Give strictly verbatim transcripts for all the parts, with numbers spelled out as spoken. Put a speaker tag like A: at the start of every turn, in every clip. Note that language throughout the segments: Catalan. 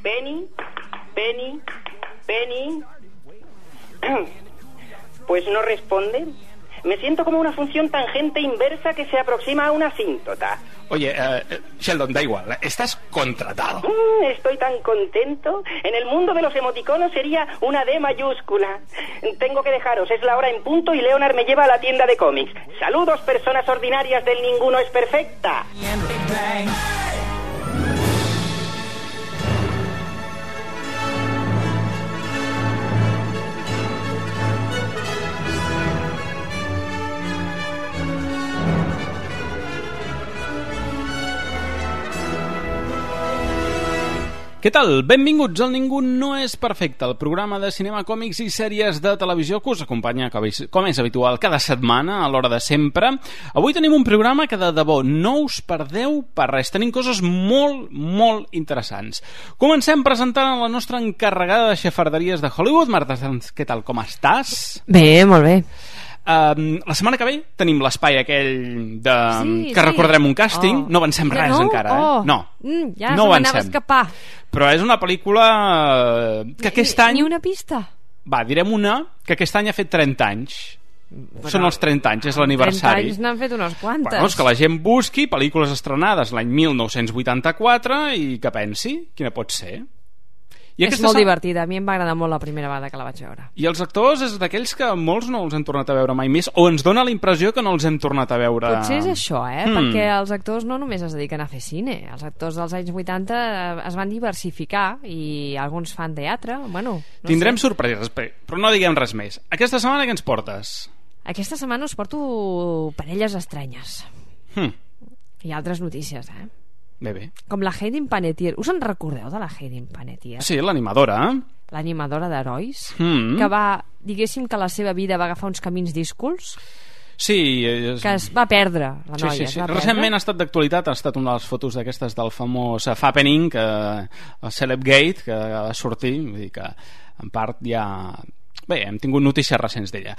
A: Penny, Penny, Penny. Pues no responde. Me siento como una función tangente inversa que se aproxima a una asíntota.
B: Oye, uh, Sheldon, da igual, estás contratado.
A: Mm, estoy tan contento. En el mundo de los emoticonos sería una D mayúscula. Tengo que dejaros, es la hora en punto y Leonard me lleva a la tienda de cómics. Saludos, personas ordinarias del Ninguno es Perfecta.
B: Què tal? Benvinguts al Ningú no és perfecte, el programa de cinema, còmics i sèries de televisió que us acompanya, com és habitual, cada setmana, a l'hora de sempre. Avui tenim un programa que de debò no us perdeu per res. Tenim coses molt, molt interessants. Comencem presentant a la nostra encarregada de xafarderies de Hollywood. Marta Sanz, què tal? Com estàs?
C: Bé, molt bé.
B: Uh, la setmana que ve tenim l'espai aquell de,
C: sí,
B: que
C: sí.
B: recordarem un càsting.
C: Oh.
B: No avancem res
C: no?
B: encara, eh?
C: Oh.
B: No,
C: mm, ja
B: no
C: se m'anava a
B: avancem.
C: escapar.
B: Però és una pel·lícula que aquest any...
C: Ni una pista.
B: Va, direm una que aquest any ha fet trenta anys.
C: Però
B: Són els trenta anys, és l'aniversari.
C: trenta anys n'han fet unes quantes.
B: Bueno, és que la gent busqui pel·lícules estrenades l'any mil nou-cents vuitanta-quatre i que pensi quina pot ser. I
C: és molt divertida, a mi em va agradar molt la primera vegada que la vaig veure.
B: I els actors és d'aquells que molts no els hem tornat a veure mai més, o ens dona la impressió que no els hem tornat a veure.
C: Potser és això, eh?
B: Hmm.
C: Perquè els actors no només es dediquen a fer cine. Els actors dels anys vuitanta es van diversificar i alguns fan teatre, bueno... No
B: Tindrem
C: sé.
B: sorpreses, però no diguem res més. Aquesta setmana què ens portes?
C: Aquesta setmana us porto parelles estranyes.
B: Hmm.
C: I altres notícies, eh?
B: Bé, bé.
C: Com la Hayden Panettiere. Us en recordeu de la Hayden Panettiere?
B: Sí, l'animadora.
C: L'animadora d'herois,
B: Mm.
C: que va, diguéssim que la seva vida va agafar uns camins díscols,
B: Sí. És...
C: que es va perdre, la
B: Sí,
C: noia.
B: sí,
C: es
B: sí.
C: va perdre.
B: Recentment ha estat d'actualitat, ha estat una de les fotos d'aquestes del famós uh, Fappening, que, el Celebgate, que va sortir, vull dir que en part ja... Bé, hem tingut notícies recents d'ella.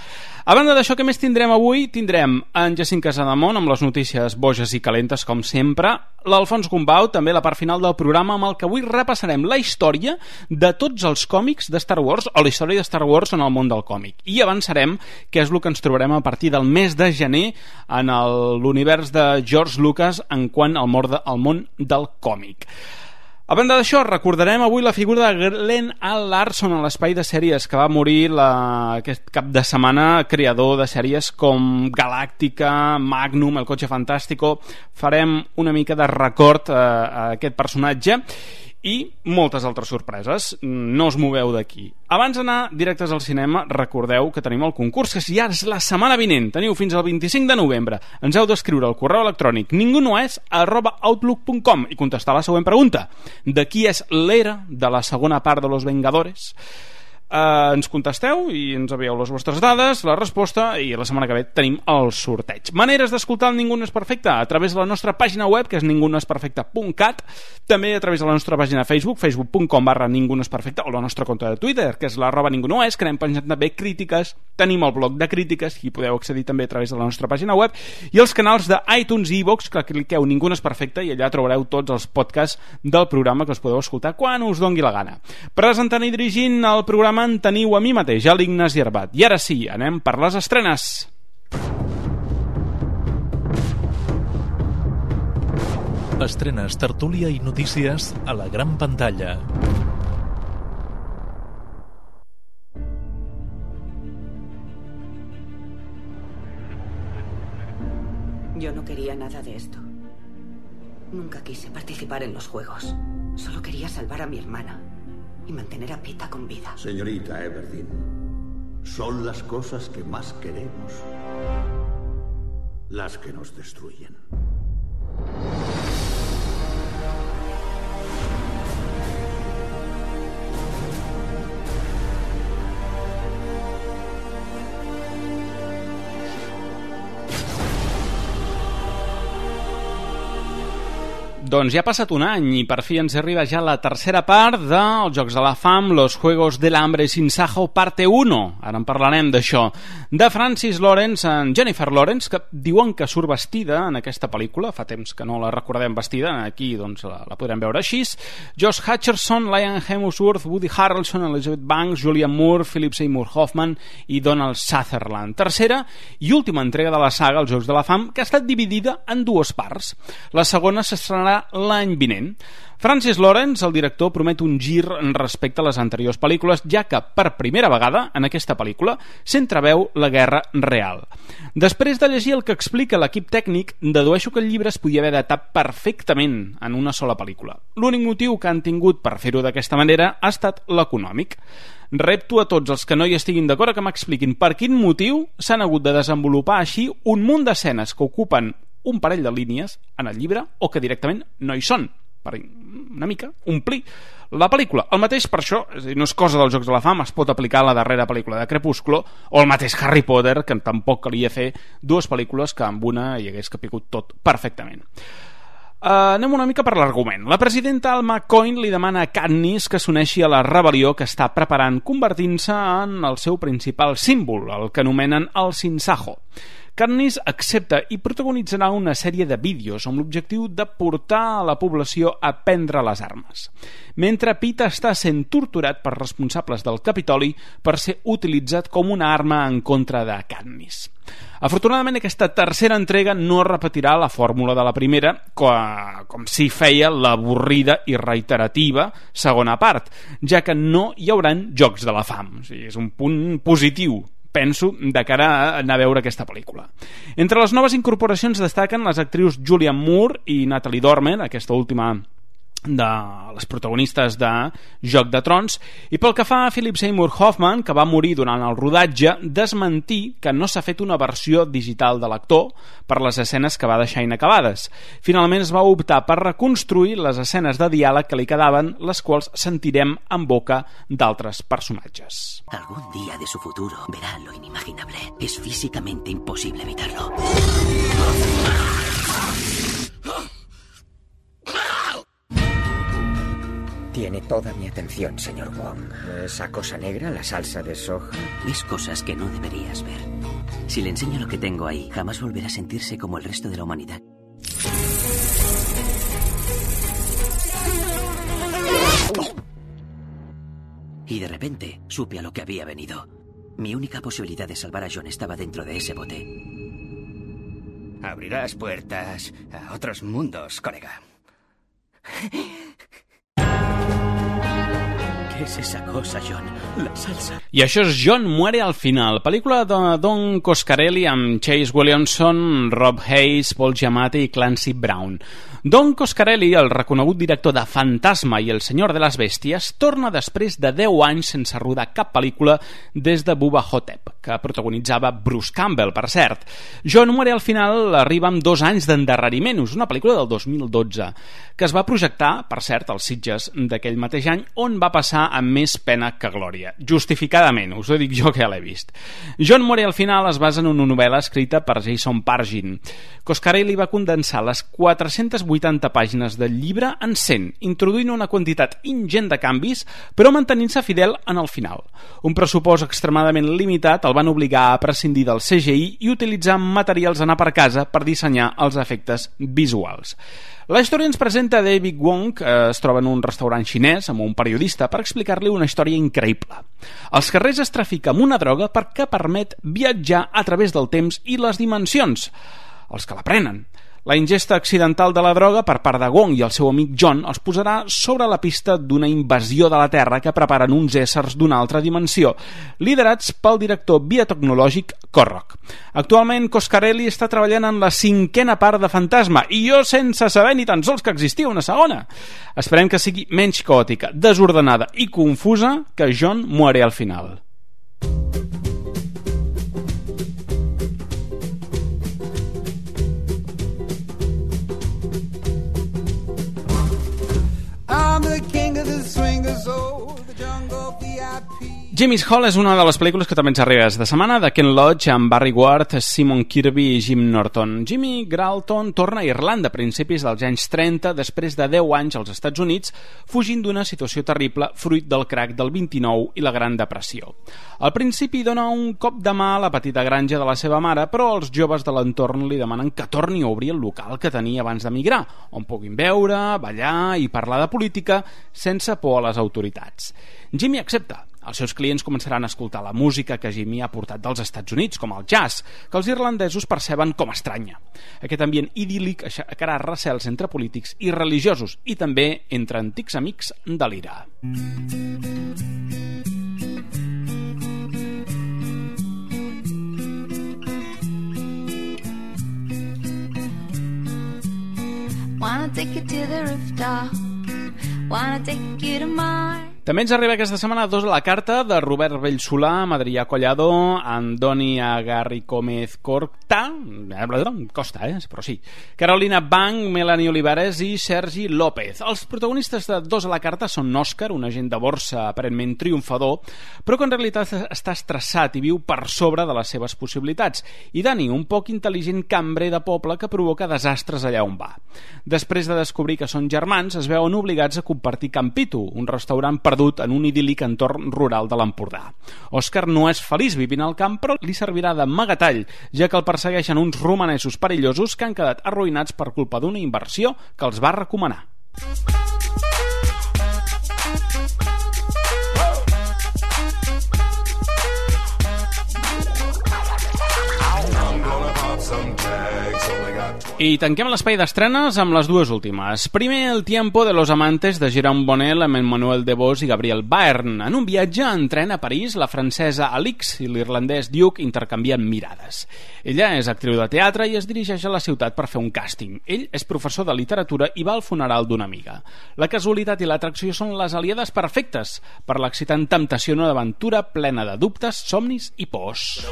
B: A banda d'això, què més tindrem avui? Tindrem en Jacint Casademont amb les notícies boges i calentes, com sempre, l'Alfons Gumbau, també la part final del programa, amb el que avui repassarem la història de tots els còmics de Star Wars, o la història de Star Wars en el món del còmic. I avançarem què és el que ens trobarem a partir del mes de gener en l'univers de George Lucas en quant al món, de, al món del còmic. A banda d'això, recordarem avui la figura de Glenn A. Larson a l'espai de sèries, que va morir la, aquest cap de setmana, creador de sèries com Galàctica, Magnum, El cotxe fantàstico. Farem una mica de record a, a aquest personatge i moltes altres sorpreses. No us moveu d'aquí. Abans d'anar directes al cinema, recordeu que tenim el concurs, que si ja és la setmana vinent, teniu fins al vint-i-cinc de novembre. Ens heu d'escriure al correu electrònic ningunoes arroba outlook punt com i contestar la següent pregunta. De qui és l'era de la segona part de Los Vengadores? Uh, ens contesteu i ens envieu les vostres dades, la resposta, i la setmana que ve tenim el sorteig. Maneres d'escoltar el Ningú no és perfecte a través de la nostra pàgina web, que és ningunoesperfecte punt cat, també a través de la nostra pàgina de Facebook, facebook punt com barra ningú no és perfecte, o la nostra compte de Twitter, que és l'arroba ningú no és, que anem penjant també crítiques, tenim el blog de crítiques, i podeu accedir també a través de la nostra pàgina web, i els canals de iTunes i iVoox, que cliqueu Ningú no és perfecte, i allà trobareu tots els podcasts del programa que us podeu escoltar quan us dongui la gana. Presentant i dirigint el programa en teniu a mi mateix, a l'Ignasi Arbat. I ara sí, anem per les estrenes.
D: Estrenes, tertúlia i notícies a la gran pantalla.
E: Yo no quería nada de esto. Nunca quise participar en los juegos. Solo quería salvar a mi hermana y mantener a Pita con vida.
F: Señorita Everdeen, son las cosas que más queremos las que nos destruyen.
B: Doncs ja ha passat un any i per fi ens arriba ja la tercera part dels Jocs de la Fam, Los Juegos del Hambre sin Sajo, parte uno. Ara en parlarem d'això. De Francis Lawrence en Jennifer Lawrence, que diuen que surt vestida en aquesta pel·lícula, fa temps que no la recordem vestida, aquí doncs la, la podrem veure així. Josh Hutcherson, Liam Hemsworth, Woody Harrelson, Elizabeth Banks, Julianne Moore, Philip Seymour Hoffman i Donald Sutherland. Tercera i última entrega de la saga, els Jocs de la Fam, que ha estat dividida en dues parts. La segona s'estrenarà l'any vinent. Francis Lawrence, el director, promet un gir respecte a les anteriors pel·lícules, ja que per primera vegada en aquesta pel·lícula s'entreveu la guerra real. Després de llegir el que explica l'equip tècnic, dedueixo que el llibre es podia haver adaptat perfectament en una sola pel·lícula. L'únic motiu que han tingut per fer-ho d'aquesta manera ha estat l'econòmic. Repto a tots els que no hi estiguin d'acord que m'expliquin per quin motiu s'han hagut de desenvolupar així un munt d'escenes que ocupen un parell de línies en el llibre o que directament no hi són, per una mica omplir la pel·lícula. El mateix per això, és a dir, no és cosa dels Jocs de la Fam, es pot aplicar a la darrera pel·lícula de Crepúsculo o el mateix Harry Potter, que tampoc calia fer dues pel·lícules que amb una hi hagués capigut tot perfectament. Uh, anem una mica per l'argument. La presidenta Alma Coin li demana a Katniss que s'uneixi a la rebel·lió que està preparant, convertint-se en el seu principal símbol, el que anomenen el Sinsajo. Katniss accepta i protagonitzarà una sèrie de vídeos amb l'objectiu de portar a la població a prendre les armes, mentre Pete està sent torturat per responsables del Capitoli per ser utilitzat com una arma en contra de Katniss. Afortunadament, aquesta tercera entrega no repetirà la fórmula de la primera, com si feia l'avorrida i reiterativa segona part, ja que no hi hauran Jocs de la Fam. O sigui, és un punt positiu, penso, de cara a anar a veure aquesta pel·lícula. Entre les noves incorporacions destaquen les actrius Julianne Moore i Natalie Dormer, aquesta última de les protagonistes de Joc de Trons, i pel que fa a Philip Seymour Hoffman, que va morir durant el rodatge, desmentir que no s'ha fet una versió digital de l'actor per les escenes que va deixar inacabades. Finalment es va optar per reconstruir les escenes de diàleg que li quedaven, les quals sentirem en boca d'altres personatges.
G: Algún día de su futuro verá lo inimaginable. Es físicamente imposible evitarlo.
H: Tiene toda mi atención, señor Wong. ¿Esa cosa negra, la salsa de soja?
G: Ves cosas que no deberías ver. Si le enseño lo que tengo ahí, jamás volverá a sentirse como el resto de la humanidad. Y de repente supe a lo que había venido. Mi única posibilidad de salvar a John estaba dentro de ese bote.
H: Abrirás puertas a otros mundos, colega.
G: ¿Qué es esa cosa, John? La salsa.
B: I això és John muere al final, pel·lícula de Don Coscarelli amb Chase Williamson, Rob Hayes, Paul Giamatti i Clancy Brown. Don Coscarelli, el reconegut director de Fantasma i El senyor de les bèsties, torna després de deu anys sense rodar cap pel·lícula des de Bubba Ho-Tep, que protagonitzava Bruce Campbell, per cert. John muere al final arriba amb dos anys d'endarreriment, és una pel·lícula del dos mil dotze, que es va projectar, per cert, als Sitges d'aquell mateix any, on va passar amb més pena que glòria. Justificadament, us ho dic jo que ja l'he vist. John muere al final es basa en una novel·la escrita per Jason Pargin. Coscarelli va condensar les quatre-centes vuitanta pàgines del llibre en cent, introduint una quantitat ingent de canvis, però mantenint-se fidel en el final. Un pressupost extremadament limitat el van obligar a prescindir del C G I i utilitzar materials d'anar per casa per dissenyar els efectes visuals. La història ens presenta David Wong, que es troba en un restaurant xinès amb un periodista per explicar-li una història increïble. Als carrers es trafica amb una droga perquè permet viatjar a través del temps i les dimensions. Els que la prenen. La ingesta accidental de la droga per part de Wong i el seu amic John els posarà sobre la pista d'una invasió de la Terra que preparen uns éssers d'una altra dimensió, liderats pel director biotecnològic Korrock. Actualment, Coscarelli està treballant en la cinquena part de Fantasma i jo sense saber ni tan sols que existia una segona. Esperem que sigui menys caòtica, desordenada i confusa que John muere al final. Jimmy's Hall és una de les pel·lícules que també ens arriba de setmana, de Ken Loach amb Barry Ward, Simon Kirby i Jim Norton. Jimmy Gralton torna a Irlanda a principis dels anys trenta, després de deu anys als Estats Units, fugint d'una situació terrible fruit del crac del vint-i-nou i la Gran Depressió. Al principi dona un cop de mà a la petita granja de la seva mare, però els joves de l'entorn li demanen que torni a obrir el local que tenia abans d'emigrar, on puguin beure, ballar i parlar de política sense por a les autoritats. Jimmy accepta. Els seus clients començaran a escoltar la música que Jimmy ha portat dels Estats Units, com el jazz, que els irlandesos perceben com estranya. Aquest ambient idíl·lic aixecarà recels entre polítics i religiosos i també entre antics amics de l'ira.
I: Wanna take you to the rooftop, wanna take you to Mars.
B: També ens arriba aquesta setmana dos a la carta de Robert Bellsolà, amb Adrià Collado, Andoni Agarri Gómez Corta, Costa, eh? Però sí, Carolina Banc, Melanie Olivares i Sergi López. Els protagonistes de dos a la carta són Òscar, un agent de borsa aparentment triomfador, però que en realitat està estressat i viu per sobre de les seves possibilitats, i Dani, un poc intel·ligent cambrer de poble que provoca desastres allà on va. Després de descobrir que són germans, es veuen obligats a compartir Campito, un restaurant per perdut en un idíl·lic entorn rural de l'Empordà. Òscar no és feliç vivint al camp, però li servirà d'amagatall, ja que el persegueixen uns romanesos perillosos que han quedat arruïnats per culpa d'una inversió que els va recomanar. I tanquem l'espai d'estrenes amb les dues últimes. Primer, El tiempo de los amantes de Jérôme Bonnel amb Emmanuel Devos i Gabriel Byrne. En un viatge en tren a París, la francesa Alix i l'irlandès Duke intercanvien mirades. Ella és actriu de teatre i es dirigeix a la ciutat per fer un càsting. Ell és professor de literatura i va al funeral d'una amiga. La casualitat i l'atracció són les aliades perfectes per l'excitant temptació d'una aventura plena de dubtes, somnis i pors.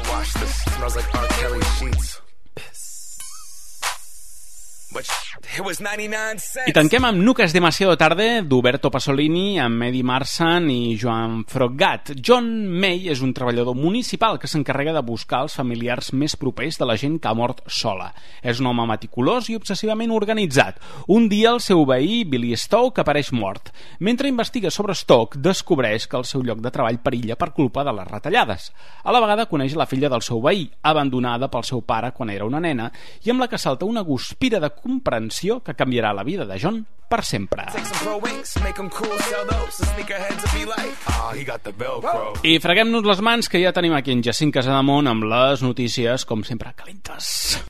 B: I tanquem amb Nunca es demasiado tarde d'Uberto Pasolini amb Eddie Marsan i Joan Froggatt. John May és un treballador municipal que s'encarrega de buscar els familiars més propers de la gent que ha mort sola. És un home meticulós i obsessivament organitzat. Un dia el seu veí, Billy Stoke, apareix mort. Mentre investiga sobre Stoke, descobreix que el seu lloc de treball perilla per culpa de les retallades. A la vegada coneix la filla del seu veí, abandonada pel seu pare quan era una nena, i amb la que salta una guspira de comprensió que canviarà la vida de John per sempre. I freguem-nos les mans, que ja tenim aquí en Jacint Casademont amb les notícies, com sempre, calentes.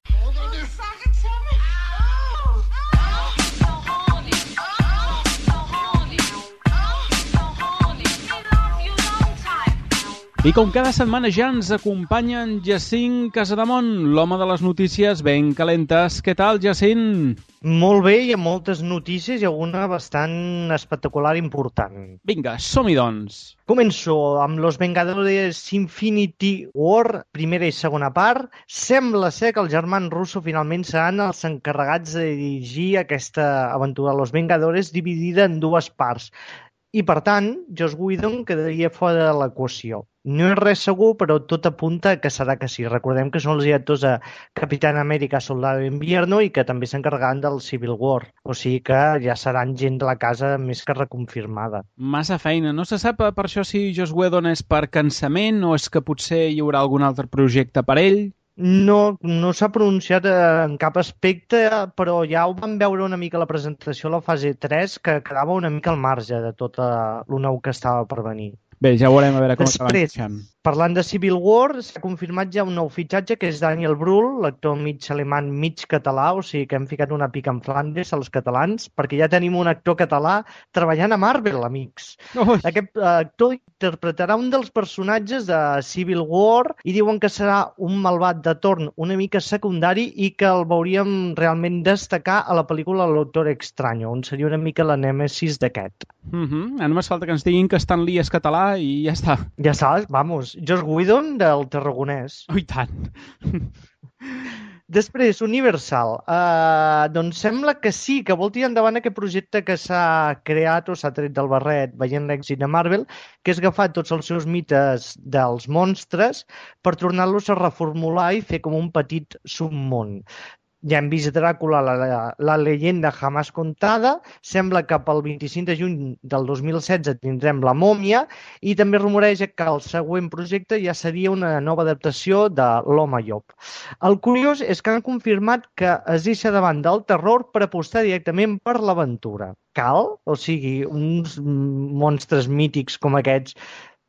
B: I com cada setmana ja ens acompanya en Jacint Casademont, l'home de les notícies ben calentes. Què tal, Jacint?
J: Molt bé, hi ha moltes notícies i alguna bastant espectacular i important.
B: Vinga, som-hi doncs.
J: Començo amb Los Vengadores Infinity War, primera i segona part. Sembla ser que els germans Russo finalment seran els encarregats de dirigir aquesta aventura de Los Vengadores dividida en dues parts. I, per tant, Joss Whedon quedaria fora de l'equació. No és res segur, però tot apunta que serà que sí. Recordem que són els directors de Capitán América, Soldado de Invierno i que també s'encarregaran del Civil War. O sigui que ja seran gent de la casa més que reconfirmada.
B: Massa feina. No se sap per això si Joss Whedon és per cansament o és que potser hi haurà algun altre projecte per ell?
J: No, no s'ha pronunciat en cap aspecte, però ja ho vam veure una mica a la presentació a la fase tres, que quedava una mica al marge de tot el nou que estava per venir.
B: Bé, ja veurem a veure com
J: Després,
B: acaben.
J: Parlant de Civil War, s'ha confirmat ja un nou fitxatge, que és Daniel Brühl, l'actor mig alemany, mig català, o sigui que hem ficat una pica en Flandes als catalans, perquè ja tenim un actor català treballant a Marvel, amics. Ui. Aquest actor interpretarà un dels personatges de Civil War i diuen que serà un malvat de torn una mica secundari i que el veuríem realment destacar a la pel·lícula El Doctor Extraño, on seria una mica la nèmesis d'aquest.
B: Uh-huh. Només falta que ens diguin que Stan Lee és català i ja està.
J: Ja saps, vamos. Joss Whedon del Tarragonès.
B: Oh, i tant.
J: Després, Universal. Uh, doncs sembla que sí, que vol tirar endavant aquest projecte que s'ha creat o s'ha tret del barret veient l'èxit de Marvel, que és agafar tots els seus mites dels monstres per tornar-los a reformular i fer com un petit submón. Ja hem vist Dràcula, la, la, la leyenda jamás contada, sembla que pel vint-i-cinc de juny del dos mil setze tindrem La mòmia i també rumoreja que el següent projecte ja seria una nova adaptació de l'Home Llop. El curiós és que han confirmat que es deixa davant del terror per apostar directament per l'aventura. Cal? O sigui, uns monstres mítics com aquests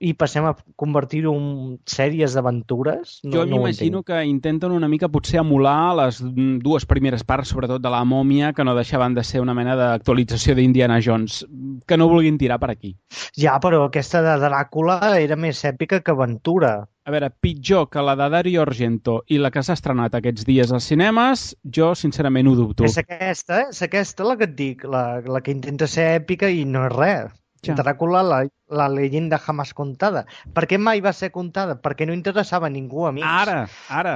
J: i passem a convertir-ho en sèries d'aventures? No,
B: jo m'imagino no que intenten una mica potser emular les dues primeres parts, sobretot de La mòmia, que no deixaven de ser una mena d'actualització d'Indiana Jones, que no vulguin tirar per aquí.
J: Ja, però aquesta de Dràcula era més èpica que aventura.
B: A veure, pitjor que la de Dario Argento i la que s'ha estrenat aquests dies als cinemes, jo sincerament ho dubto.
J: És aquesta, eh? És aquesta la que et dic, la, la que intenta ser èpica i no és res. Ja. Dràcula, la, la leyenda jamás contada. Per què mai va ser contada? Perquè no interessava a ningú, amics.
B: Ara, ara.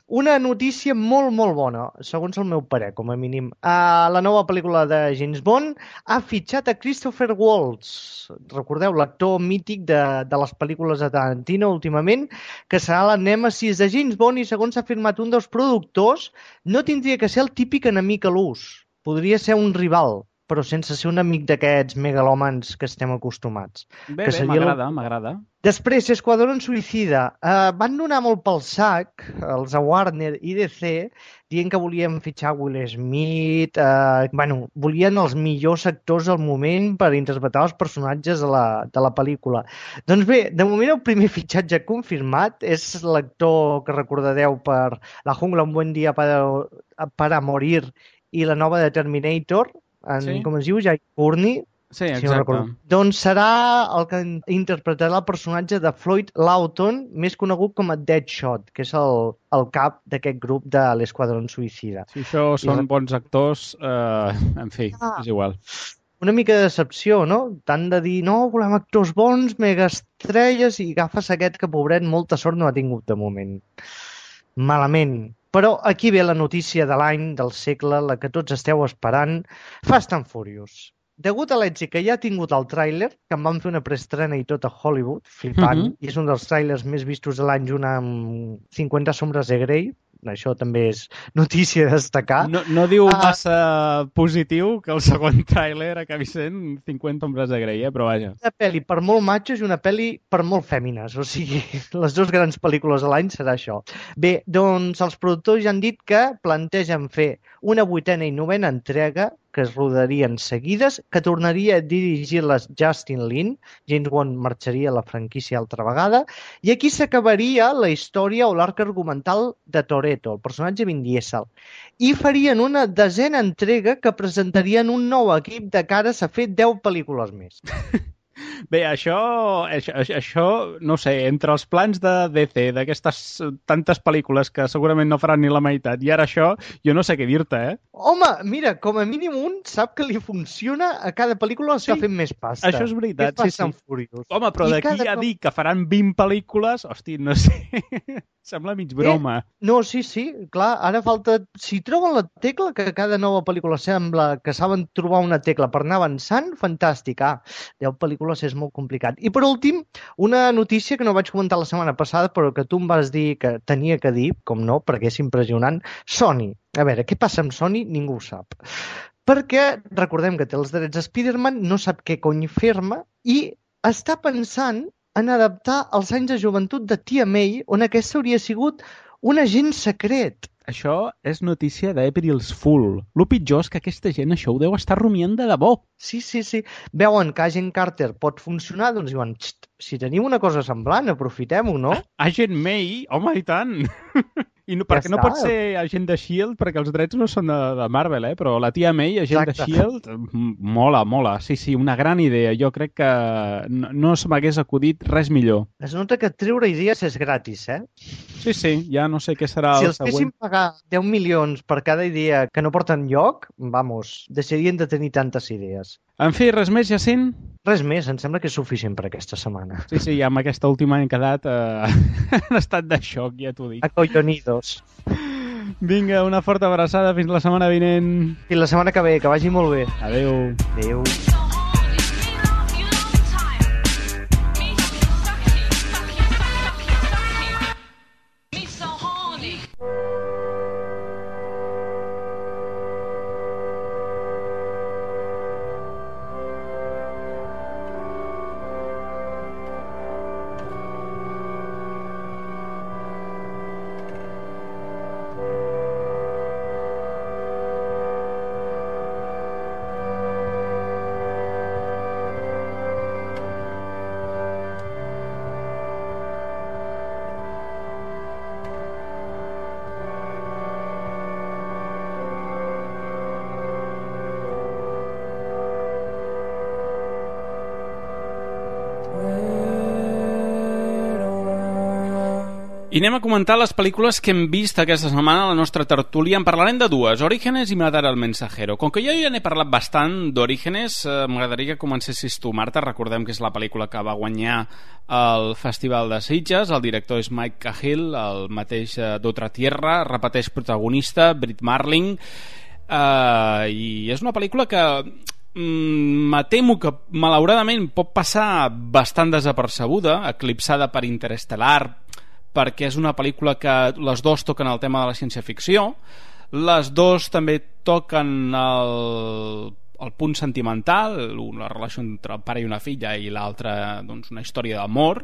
J: Una notícia molt, molt bona, segons el meu parer, com a mínim. Uh, la nova pel·lícula de James Bond ha fitxat a Christopher Waltz. Recordeu, l'actor mític de, de les pel·lícules de Tarantino últimament, que serà la nèmesis de James Bond i, segons s'ha afirmat un dels productors, no tindria que ser el típic enemic a l'ús. Podria ser un rival, però sense ser un amic d'aquests megalòmans que estem acostumats.
B: Bé, bé, m'agrada, el... m'agrada.
J: Després, Esquadrón Suïcida. Uh, van donar molt pel sac, els a Warner i D C, dient que volien fitxar Will Smith, uh, bueno, volien els millors actors al moment per interpretar els personatges de la, de la pel·lícula. Doncs bé, de moment el primer fitxatge confirmat és l'actor que recordareu per La jungla, un buen dia para, para morir i la nova de Terminator, en, sí. com es diu, Jai Courtney.
B: Sí, exacte.
J: Si no doncs serà el que interpretarà el personatge de Floyd Lawton, més conegut com a Deadshot, que és el, el cap d'aquest grup de l'Esquadrón Suïcida.
B: Si això són I... bons actors, eh, en fi, ah. és igual.
J: Una mica de decepció, no? Tant de dir, no, volem actors bons, megaestrelles, i agafes aquest que, pobret, molta sort no ha tingut de moment. Malament. Però aquí ve la notícia de l'any, del segle, la que tots esteu esperant, Fast and Furious. Degut a l'èxit que ja ha tingut el tràiler, que en van fer una preestrena i tot a Hollywood, flipant, mm-hmm. i és un dels tràilers més vistos de l'any junt amb cinquanta sombres de Grey, això també és notícia a destacar.
B: No, no diu massa uh, positiu que el segon tràiler acabi sent cinquanta ombres de Grey, eh? Però vaja.
J: Una pel·li per molt matxos i una pel·li per molt fèmines, o sigui, les dues grans pel·lícules de l'any serà això. Bé, doncs els productors ja han dit que plantegen fer una vuitena i novena entrega que es rodarien seguides, que tornaria a dirigir-les Justin Lin, James Bond marxaria a la franquícia altra vegada, i aquí s'acabaria la història o l'arc argumental de Toretto, el personatge Vin Diesel, i farien una desena entrega que presentarien un nou equip de cares a fer deu pel·lícules més.
B: Bé, això, això, això, no sé, entre els plans de D C, d'aquestes tantes pel·lícules que segurament no faran ni la meitat, i ara això, jo no sé què dir-te, eh?
J: Home, mira, com a mínim un sap que li funciona a cada pel·lícula està sí, fent més pasta.
B: Això és veritat, sí, sí.
J: Furious.
B: Home, però d'aquí cada... a dir que faran vint pel·lícules, hosti, no sé, sembla mig broma.
J: Eh? No, sí, sí, clar, ara falta... Si troben la tecla, que cada nova pel·lícula sembla que saben trobar una tecla per anar avançant, fantàstic. Ah, deu pel·lícules és molt complicat. I per últim, una notícia que no vaig comentar la setmana passada, però que tu em vas dir que tenia que dir, com no, perquè és impressionant, Sony. A veure, què passa amb Sony? Ningú ho sap. Perquè, recordem que té els drets a Spider-Man, no sap què cony fer-me, i està pensant en adaptar els anys de joventut de Tia May, on aquesta hauria sigut un agent secret.
B: Això és notícia d'April's Fool. Lo pitjor és que aquesta gent això ho deu estar rumiant de debò.
J: Sí, sí, sí. Veuen que Agent Carter pot funcionar, doncs diuen, si tenim una cosa semblant, aprofitem-ho, no?
B: Agent May? Home, i tant! I no, perquè ja no pot ser agent de S H I E L D, perquè els drets no són de, de Marvel, eh? Però la Tia May, agent Exacte. de S H I E L D, mola, mola. Sí, sí, una gran idea. Jo crec que no, no se m'hagués acudit res millor.
J: Es nota que treure idees és gratis, eh?
B: Sí, sí, ja no sé què serà
J: si
B: el següent.
J: Si els fessin pagar deu milions per cada idea que no porten lloc, vamos, deixarien de tenir tantes idees.
B: En fi, res més, Jacint?
J: Res més, em sembla que és suficient per aquesta setmana.
B: Sí, sí, ja amb aquesta última hem quedat eh, en estat de xoc, ja t'ho dic.
J: Acollonidos.
B: Vinga, una forta abraçada, fins la setmana vinent.
J: Fins la setmana que ve, que vagi molt bé.
B: Adéu.
J: Adéu.
B: I anem a comentar les pel·lícules que hem vist aquesta setmana a la nostra tertúlia. En parlarem de dues, Orígenes i Matar al Mensajero. Com que jo ja n'he parlat bastant d'Orígenes, eh, m'agradaria que comencessis tu, Marta. Recordem que és la pel·lícula que va guanyar el Festival de Sitges. El director és Mike Cahill, el mateix eh, d'Otra Tierra. Repeteix protagonista, Brit Marling. Eh, I és una pel·lícula que mm, me temo que malauradament pot passar bastant desapercebuda, eclipsada per Interestelar, perquè és una pel·lícula que les dues toquen el tema de la ciència-ficció, les dues també toquen el, el punt sentimental, la relació entre el pare i una filla, i l'altra, doncs, una història d'amor,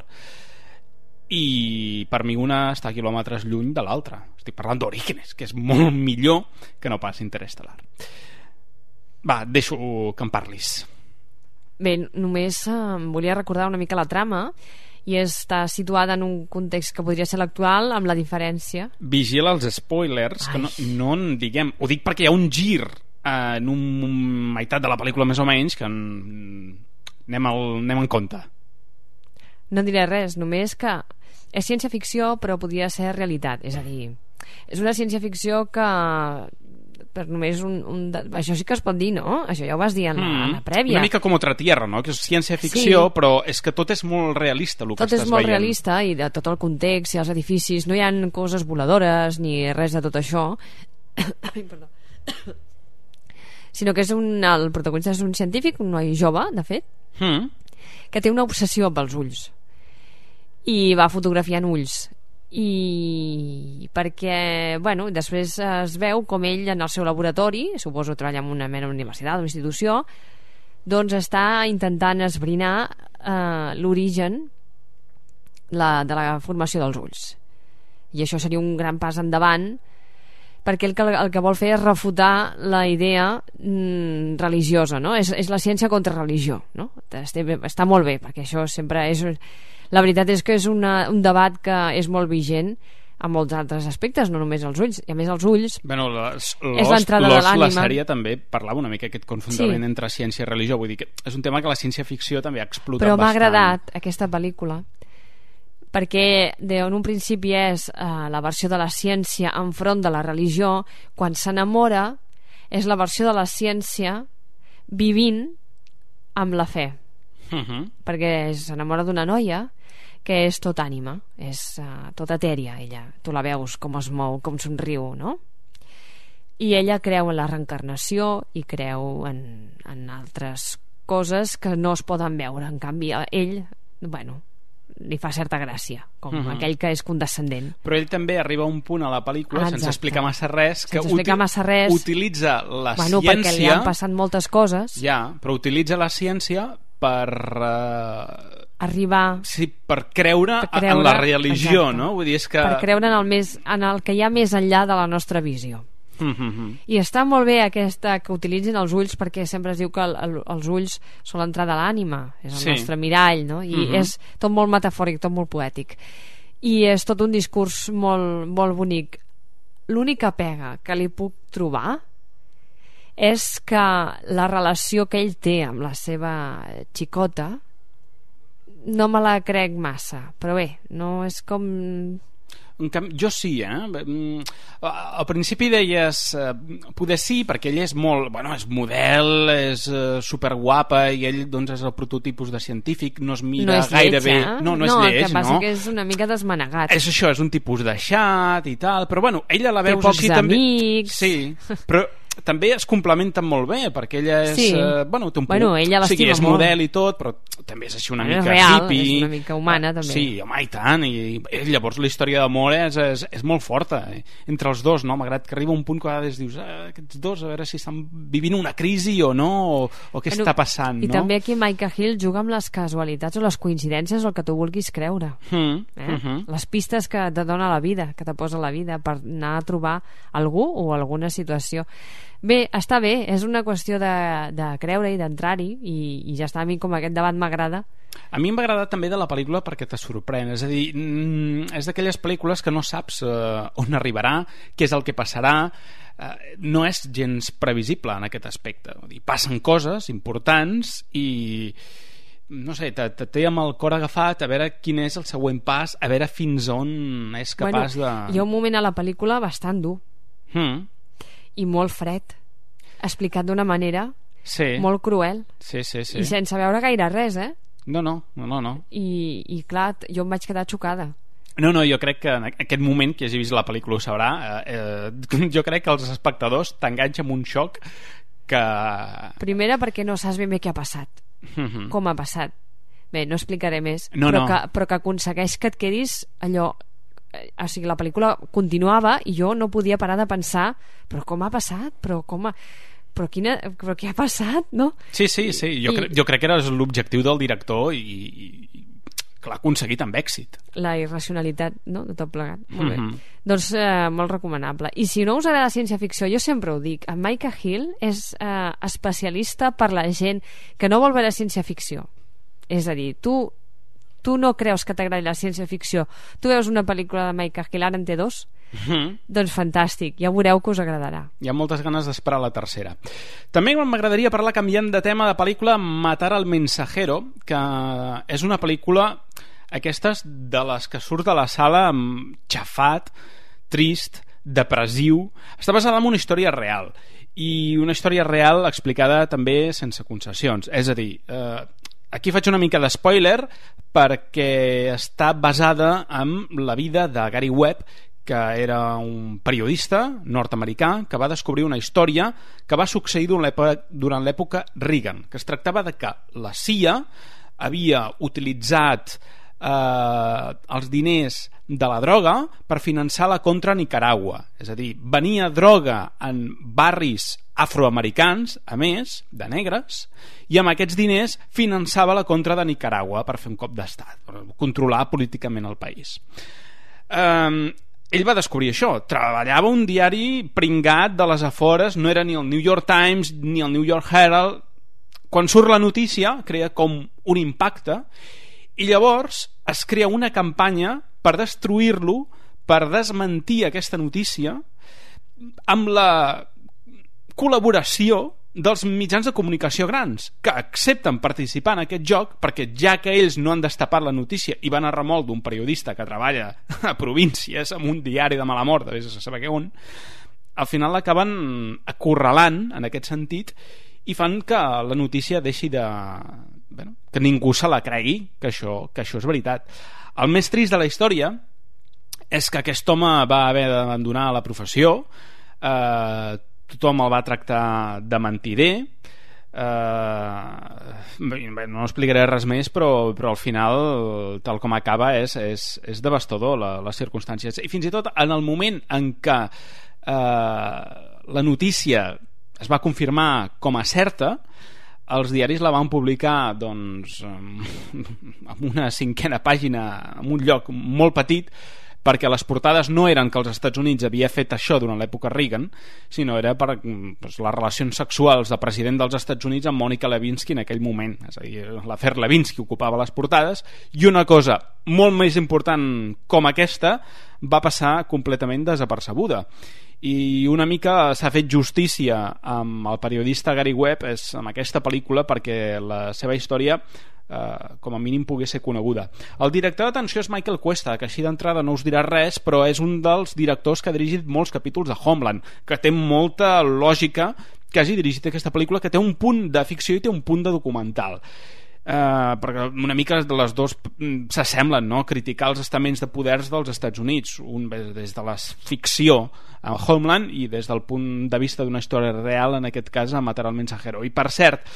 B: i per mi una està a quilòmetres lluny de l'altra. Estic parlant d'Orígenes, que és molt millor que no pas Interestelar. Va, et deixo que em parlis.
C: Bé, només eh, volia recordar una mica la trama, i està situada en un context que podria ser l'actual, amb la diferència.
B: Vigila els spoilers, Ai. que no, no en diguem. Ho dic perquè hi ha un gir eh, en un meitat de la pel·lícula més o menys que en... anem, al, anem en compte.
C: No diré res, només que és ciència-ficció però podria ser realitat. És a dir, és una ciència-ficció que per només un, un... Això sí que es pot dir, no? Això ja ho vas dir en, mm. en la prèvia.
B: Una mica com Otra Tierra, no? Que és ciència-ficció, sí. Però és que tot és molt realista el que
C: tot
B: estàs veient.
C: Tot és molt realista, i de tot el context i els edificis, no hi ha coses voladores ni res de tot això. Ai, perdó. Sinó que és un, el protagonista és un científic, un noi jove, de fet, mm. que té una obsessió pels ulls i va fotografiant ulls, i perquè, bueno, després es veu com ell en el seu laboratori, suposo treballa en una mena universitat, una institució, doncs està intentant esbrinar eh, l'origen la, de la formació dels ulls, i això seria un gran pas endavant, perquè el que, el que vol fer és refutar la idea mm, religiosa, no? És, és la ciència contra religió, no? Està, està molt bé, perquè això sempre és... La veritat és que és una, un debat que és molt vigent en molts altres aspectes, no només els ulls. I a més els ulls
B: bueno, les,
C: és l'entrada de l'ànima.
B: La sèrie també parlava una mica aquest confrontament sí. entre ciència i religió. Vull dir que és un tema que la ciència-ficció també ha explotat
C: Però
B: bastant.
C: Però m'ha agradat aquesta pel·lícula perquè en un principi és eh, la versió de la ciència enfront de la religió. Quan s'enamora és la versió de la ciència vivint amb la fe. Uh-huh. Perquè s'enamora d'una noia que és tot ànima, és uh, tot etèria, ella. Tu la veus com es mou, com somriu, no? I ella creu en la reencarnació i creu en, en altres coses que no es poden veure. En canvi, ell, bueno, li fa certa gràcia, com uh-huh. aquell que és condescendent.
B: Però ell també arriba a un punt a la pel·lícula, ah, sense explicar massa res, que
C: sense explicar massa res,
B: utilitza la
C: bueno,
B: ciència...
C: perquè li han passat moltes coses.
B: Ja, però utilitza la ciència per... Uh...
C: arribar...
B: Sí, per creure, per creure en la religió, exacte. No? Vull dir, és que...
C: Per creure en el, més, en el que hi ha més enllà de la nostra visió. Mm-hmm. I està molt bé aquesta que utilitzin els ulls, perquè sempre es diu que el, el, els ulls són l'entrada a l'ànima, és el sí. nostre mirall, no? I mm-hmm. és tot molt metafòric, tot molt poètic. I és tot un discurs molt, molt bonic. L'única pega que li puc trobar és que la relació que ell té amb la seva xicota no me la crec massa, però bé, no és com...
B: En canvi, jo sí, eh? Al principi deies eh, poder sí, perquè ell és molt, bueno, és model, és eh, superguapa i ell doncs és el prototipus de científic, no es mira
C: no és
B: gaire
C: lleig,
B: bé,
C: eh?
B: no, no,
C: no
B: és lleig,
C: el que passa
B: no?
C: que és una mica desmanegat.
B: És això, és un tipus deixat i tal, però bueno, ella la veus
C: Té pocs
B: així també.
C: amics.
B: Sí, però també es complementen molt bé, perquè ella és...
C: Sí.
B: Eh, bueno, té un
C: bueno,
B: punt.
C: ella
B: o sigui,
C: l'estima
B: és
C: molt.
B: model i tot, però també és així una
C: Bueno,
B: mica
C: és real,
B: hippie.
C: és una mica humana, també.
B: Sí, home, i tant. I, i llavors la història d'amor és, és, és molt forta. Eh? Entre els dos, no? Malgrat que arriba un punt que a vegades dius ah, aquests dos, a veure si estan vivint una crisi o no, o, o què bueno, està passant,
C: i
B: no?
C: I també aquí Micah Hill juga amb les casualitats o les coincidències o el que tu vulguis creure.
B: Mm,
C: eh?
B: uh -huh.
C: Les pistes que te dona la vida, que te posa la vida per anar a trobar algú o alguna situació. Bé, està bé, és una qüestió de, de creure i d'entrar-hi i, i ja està, a mi com aquest debat m'agrada.
B: A mi m'agrada també de la pel·lícula perquè te sorprèn, és a dir, mm, és d'aquelles pel·lícules que no saps eh, on arribarà, què és el que passarà, eh, no és gens previsible en aquest aspecte. Vull dir, passen coses importants i no sé, te, te té amb el cor agafat a veure quin és el següent pas, a veure fins on és capaç
C: bueno,
B: de...
C: Hi ha un moment a la pel·lícula bastant dur
B: mm.
C: i molt fred, explicat d'una manera
B: sí.
C: molt cruel
B: sí, sí, sí.
C: i sense veure gaire res, eh?
B: No, no, no, no.
C: I, i clar, jo em vaig quedar xocada.
B: No, no, jo crec que en aquest moment que hagi vist la pel·lícula ho sabrà, eh, eh, jo crec que els espectadors t'enganxa amb un xoc que...
C: Primera perquè no saps ben bé què ha passat,
B: mm-hmm.
C: com ha passat. Bé, no explicaré més,
B: no,
C: però,
B: no.
C: Que, però que aconsegueix que et quedis allò... O sigui, la pel·lícula continuava i jo no podia parar de pensar però com ha passat? Però com ha... Però, quina... però què ha passat? No?
B: Sí, sí, sí. Jo, I... cre... jo crec que era l'objectiu del director i, i que l'ha aconseguit amb èxit.
C: La irracionalitat, no?, de tot plegat. Molt bé.
B: Mm-hmm.
C: Doncs eh, molt recomanable. I si no us agrada ciència-ficció, jo sempre ho dic, en Micah Hill és eh, especialista per la gent que no vol veure ciència-ficció. És a dir, tu tu no creus que t'agradi la ciència-ficció, tu veus una pel·lícula de Micah Hill, ara en té dos, mm-hmm. doncs fantàstic, ja veureu que us agradarà.
B: Hi ha moltes ganes d'esperar la tercera. També m'agradaria parlar, canviant de tema, de pel·lícula Matar al mensajero, que és una pel·lícula aquestes de les que surt de la sala amb xafat, trist, depressiu. Està basada en una història real i una història real explicada també sense concessions, és a dir, eh, aquí faig una mica d'espoiler perquè està basada en la vida de Gary Webb, que era un periodista nord-americà que va descobrir una història que va succeir durant l'època Reagan, que es tractava de que la C I A havia utilitzat eh, els diners de la droga per finançar la contra Nicaragua, és a dir, venia droga en barris afroamericans, a més, de negres, i amb aquests diners finançava la contra de Nicaragua per fer un cop d'estat, per controlar políticament el país. Eh, ell va descobrir això, treballava un diari pringat de les afores, no era ni el New York Times ni el New York Herald. Quan surt la notícia crea com un impacte i llavors es crea una campanya per destruir-lo, per desmentir aquesta notícia amb la col·laboració dels mitjans de comunicació grans, que accepten participar en aquest joc perquè ja que ells no han destapat la notícia i van a remolc d'un periodista que treballa a províncies amb un diari de mala mort, vés a saber què on, al final l'acaben acorralant en aquest sentit i fan que la notícia deixi de... Bueno, que ningú se la cregui que això, que això és veritat. El més trist de la història és que aquest home va haver d'abandonar la professió, eh, tothom el va tractar de mentider, eh, no explicaré res més, però, però al final tal com acaba és, és, és devastador la, les circumstàncies, i fins i tot en el moment en què eh, la notícia es va confirmar com a certa, els diaris la van publicar doncs amb una cinquena pàgina en un lloc molt petit, perquè les portades no eren que els Estats Units havia fet això durant l'època Reagan, sinó era per doncs, les relacions sexuals del president dels Estats Units amb Mònica Lewinsky en aquell moment, és a dir, l'afer Lewinsky ocupava les portades, i una cosa molt més important com aquesta va passar completament desapercebuda. I una mica s'ha fet justícia amb el periodista Gary Webb és amb aquesta pel·lícula, perquè la seva història eh, com a mínim pogués ser coneguda. El director d'atenció és Michael Cuesta, que així d'entrada no us dirà res, però és un dels directors que ha dirigit molts capítols de Homeland, que té molta lògica que hagi dirigit aquesta pel·lícula, que té un punt de ficció i té un punt de documental. Uh, perquè una mica de les dos s'assemblen, no? Criticar els estaments de poders dels Estats Units, un des de la ficció a Homeland i des del punt de vista d'una història real, en aquest cas a Matar al Mensajero. I per cert,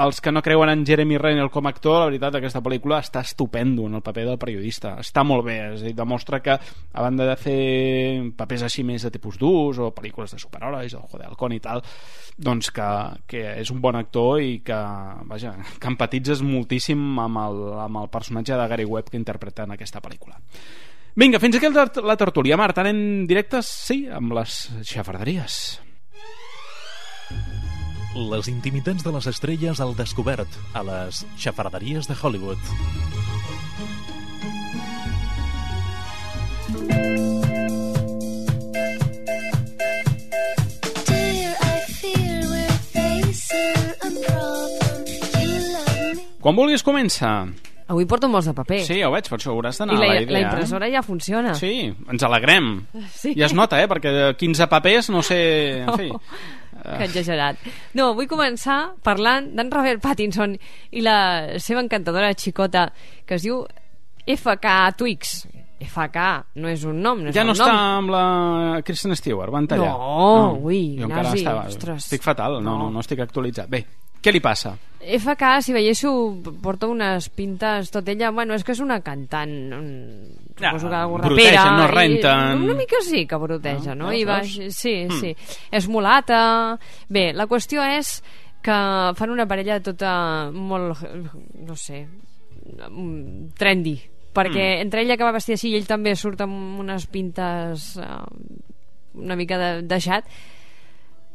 B: els que no creuen en Jeremy Renner com a actor, la veritat, aquesta pel·lícula està estupendo en el paper del periodista, està molt bé, és a dir, demostra que a banda de fer papers així més de tipus durs o pel·lícules de superherois o de Halcón i tal, doncs que, que és un bon actor i que, vaja, que empatitzes moltíssim amb el, amb el personatge de Gary Webb que interpreta en aquesta pel·lícula. Vinga, fins aquí la tertúlia. Marta, anem directes, sí, amb les xafarderies.
D: Les intimitats de les estrelles al descobert a les xafarderies de Hollywood.
B: Quan vulguis comença.
C: Avui porto molts de paper.
B: Sí, ja ho veig, per això hauràs d'anar
C: I la,
B: a l'aire.
C: la impressora ja funciona.
B: Sí, ens alegrem.
C: Sí.
B: Ja es nota, eh? Perquè quinze papers, no sé... En fi.
C: Oh, que exagerat. No, vull començar parlant d'en Robert Pattinson i la seva encantadora xicota que es diu F K Twix. F K no és un nom, no és
B: ja
C: un
B: no
C: nom.
B: està amb la Kristen Stewart, van tallar.
C: No, no. ui,
B: jo encara
C: nazi,
B: estava...
C: ostres.
B: Estic fatal, no, no, no estic actualitzat. Bé, què li passa?
C: F K, si veiéssiu, porta unes pintes tot ella, bueno, és que és una cantant, suposo que algú rapera,
B: brutegen, no renten.
C: Una mica sí que bruteja, no?
B: no?
C: I va, sí, sí. És mulata. Bé, la qüestió és que fan una parella tota molt, no sé, trendy, perquè mm. entre ella que va vestir així i ell també surt amb unes pintes uh, una mica de, deixat,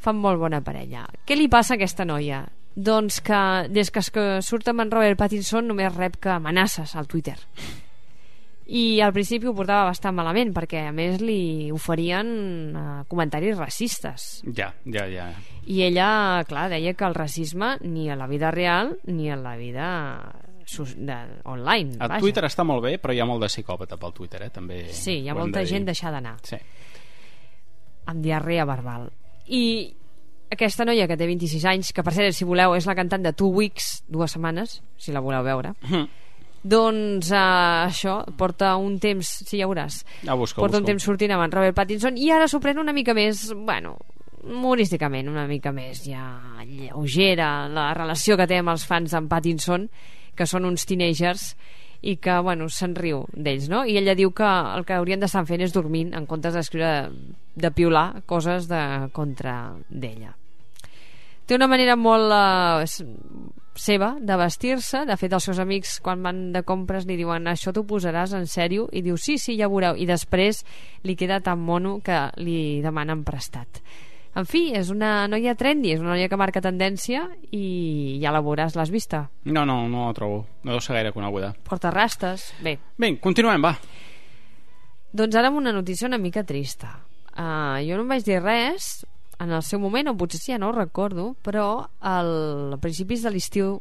C: fan molt bona parella. Què li passa a aquesta noia? Doncs que des que surt amb en Robert Pattinson només rep que amenaces al Twitter, i al principi ho portava bastant malament perquè a més li oferien uh, comentaris racistes.
B: Ja, ja, ja.
C: I ella, clar, deia que el racisme ni a la vida real ni a la vida de, online.
B: A
C: vaja.
B: Twitter està molt bé, però hi ha molt de psicòpata pel Twitter, eh? També
C: sí, hi ha molta de gent deixar d'anar,
B: sí,
C: amb diarrea verbal. I aquesta noia que té vint-i-sis anys, que per cert, si voleu, és la cantant de Two Weeks, dues setmanes, si la voleu veure, mm. doncs uh, això, porta un temps, sí, ja veuràs,
B: ja busco,
C: porta
B: busco.
C: un temps sortint amb en Robert Pattinson i ara s'ho pren una mica més, bueno, humorísticament, una mica més ja lleugera, la relació que té amb els fans d'en Pattinson, que són uns teenagers i que, bueno, se'n riu d'ells, no? I ella diu que el que haurien d'estar fent és dormint en comptes d'escriure, de piular coses de contra d'ella. Té una manera molt uh, seva de vestir-se. De fet, els seus amics quan van de compres li diuen això t'ho posaràs en sèrio? I diu sí, sí, ja veureu. I després li queda tan mono que li demanen prestat. En fi, és una noia trendy, és una noia que marca tendència i ja la veuràs, l'has vista?
B: No, no, no la trobo, no deu ser gaire coneguda.
C: Porta rastes, bé.
B: Bé, continuem, va.
C: Doncs ara amb una notícia una mica trista. Uh, jo no em vaig dir res en el seu moment, o potser sí, ja no ho recordo, però al, a principis de l'estiu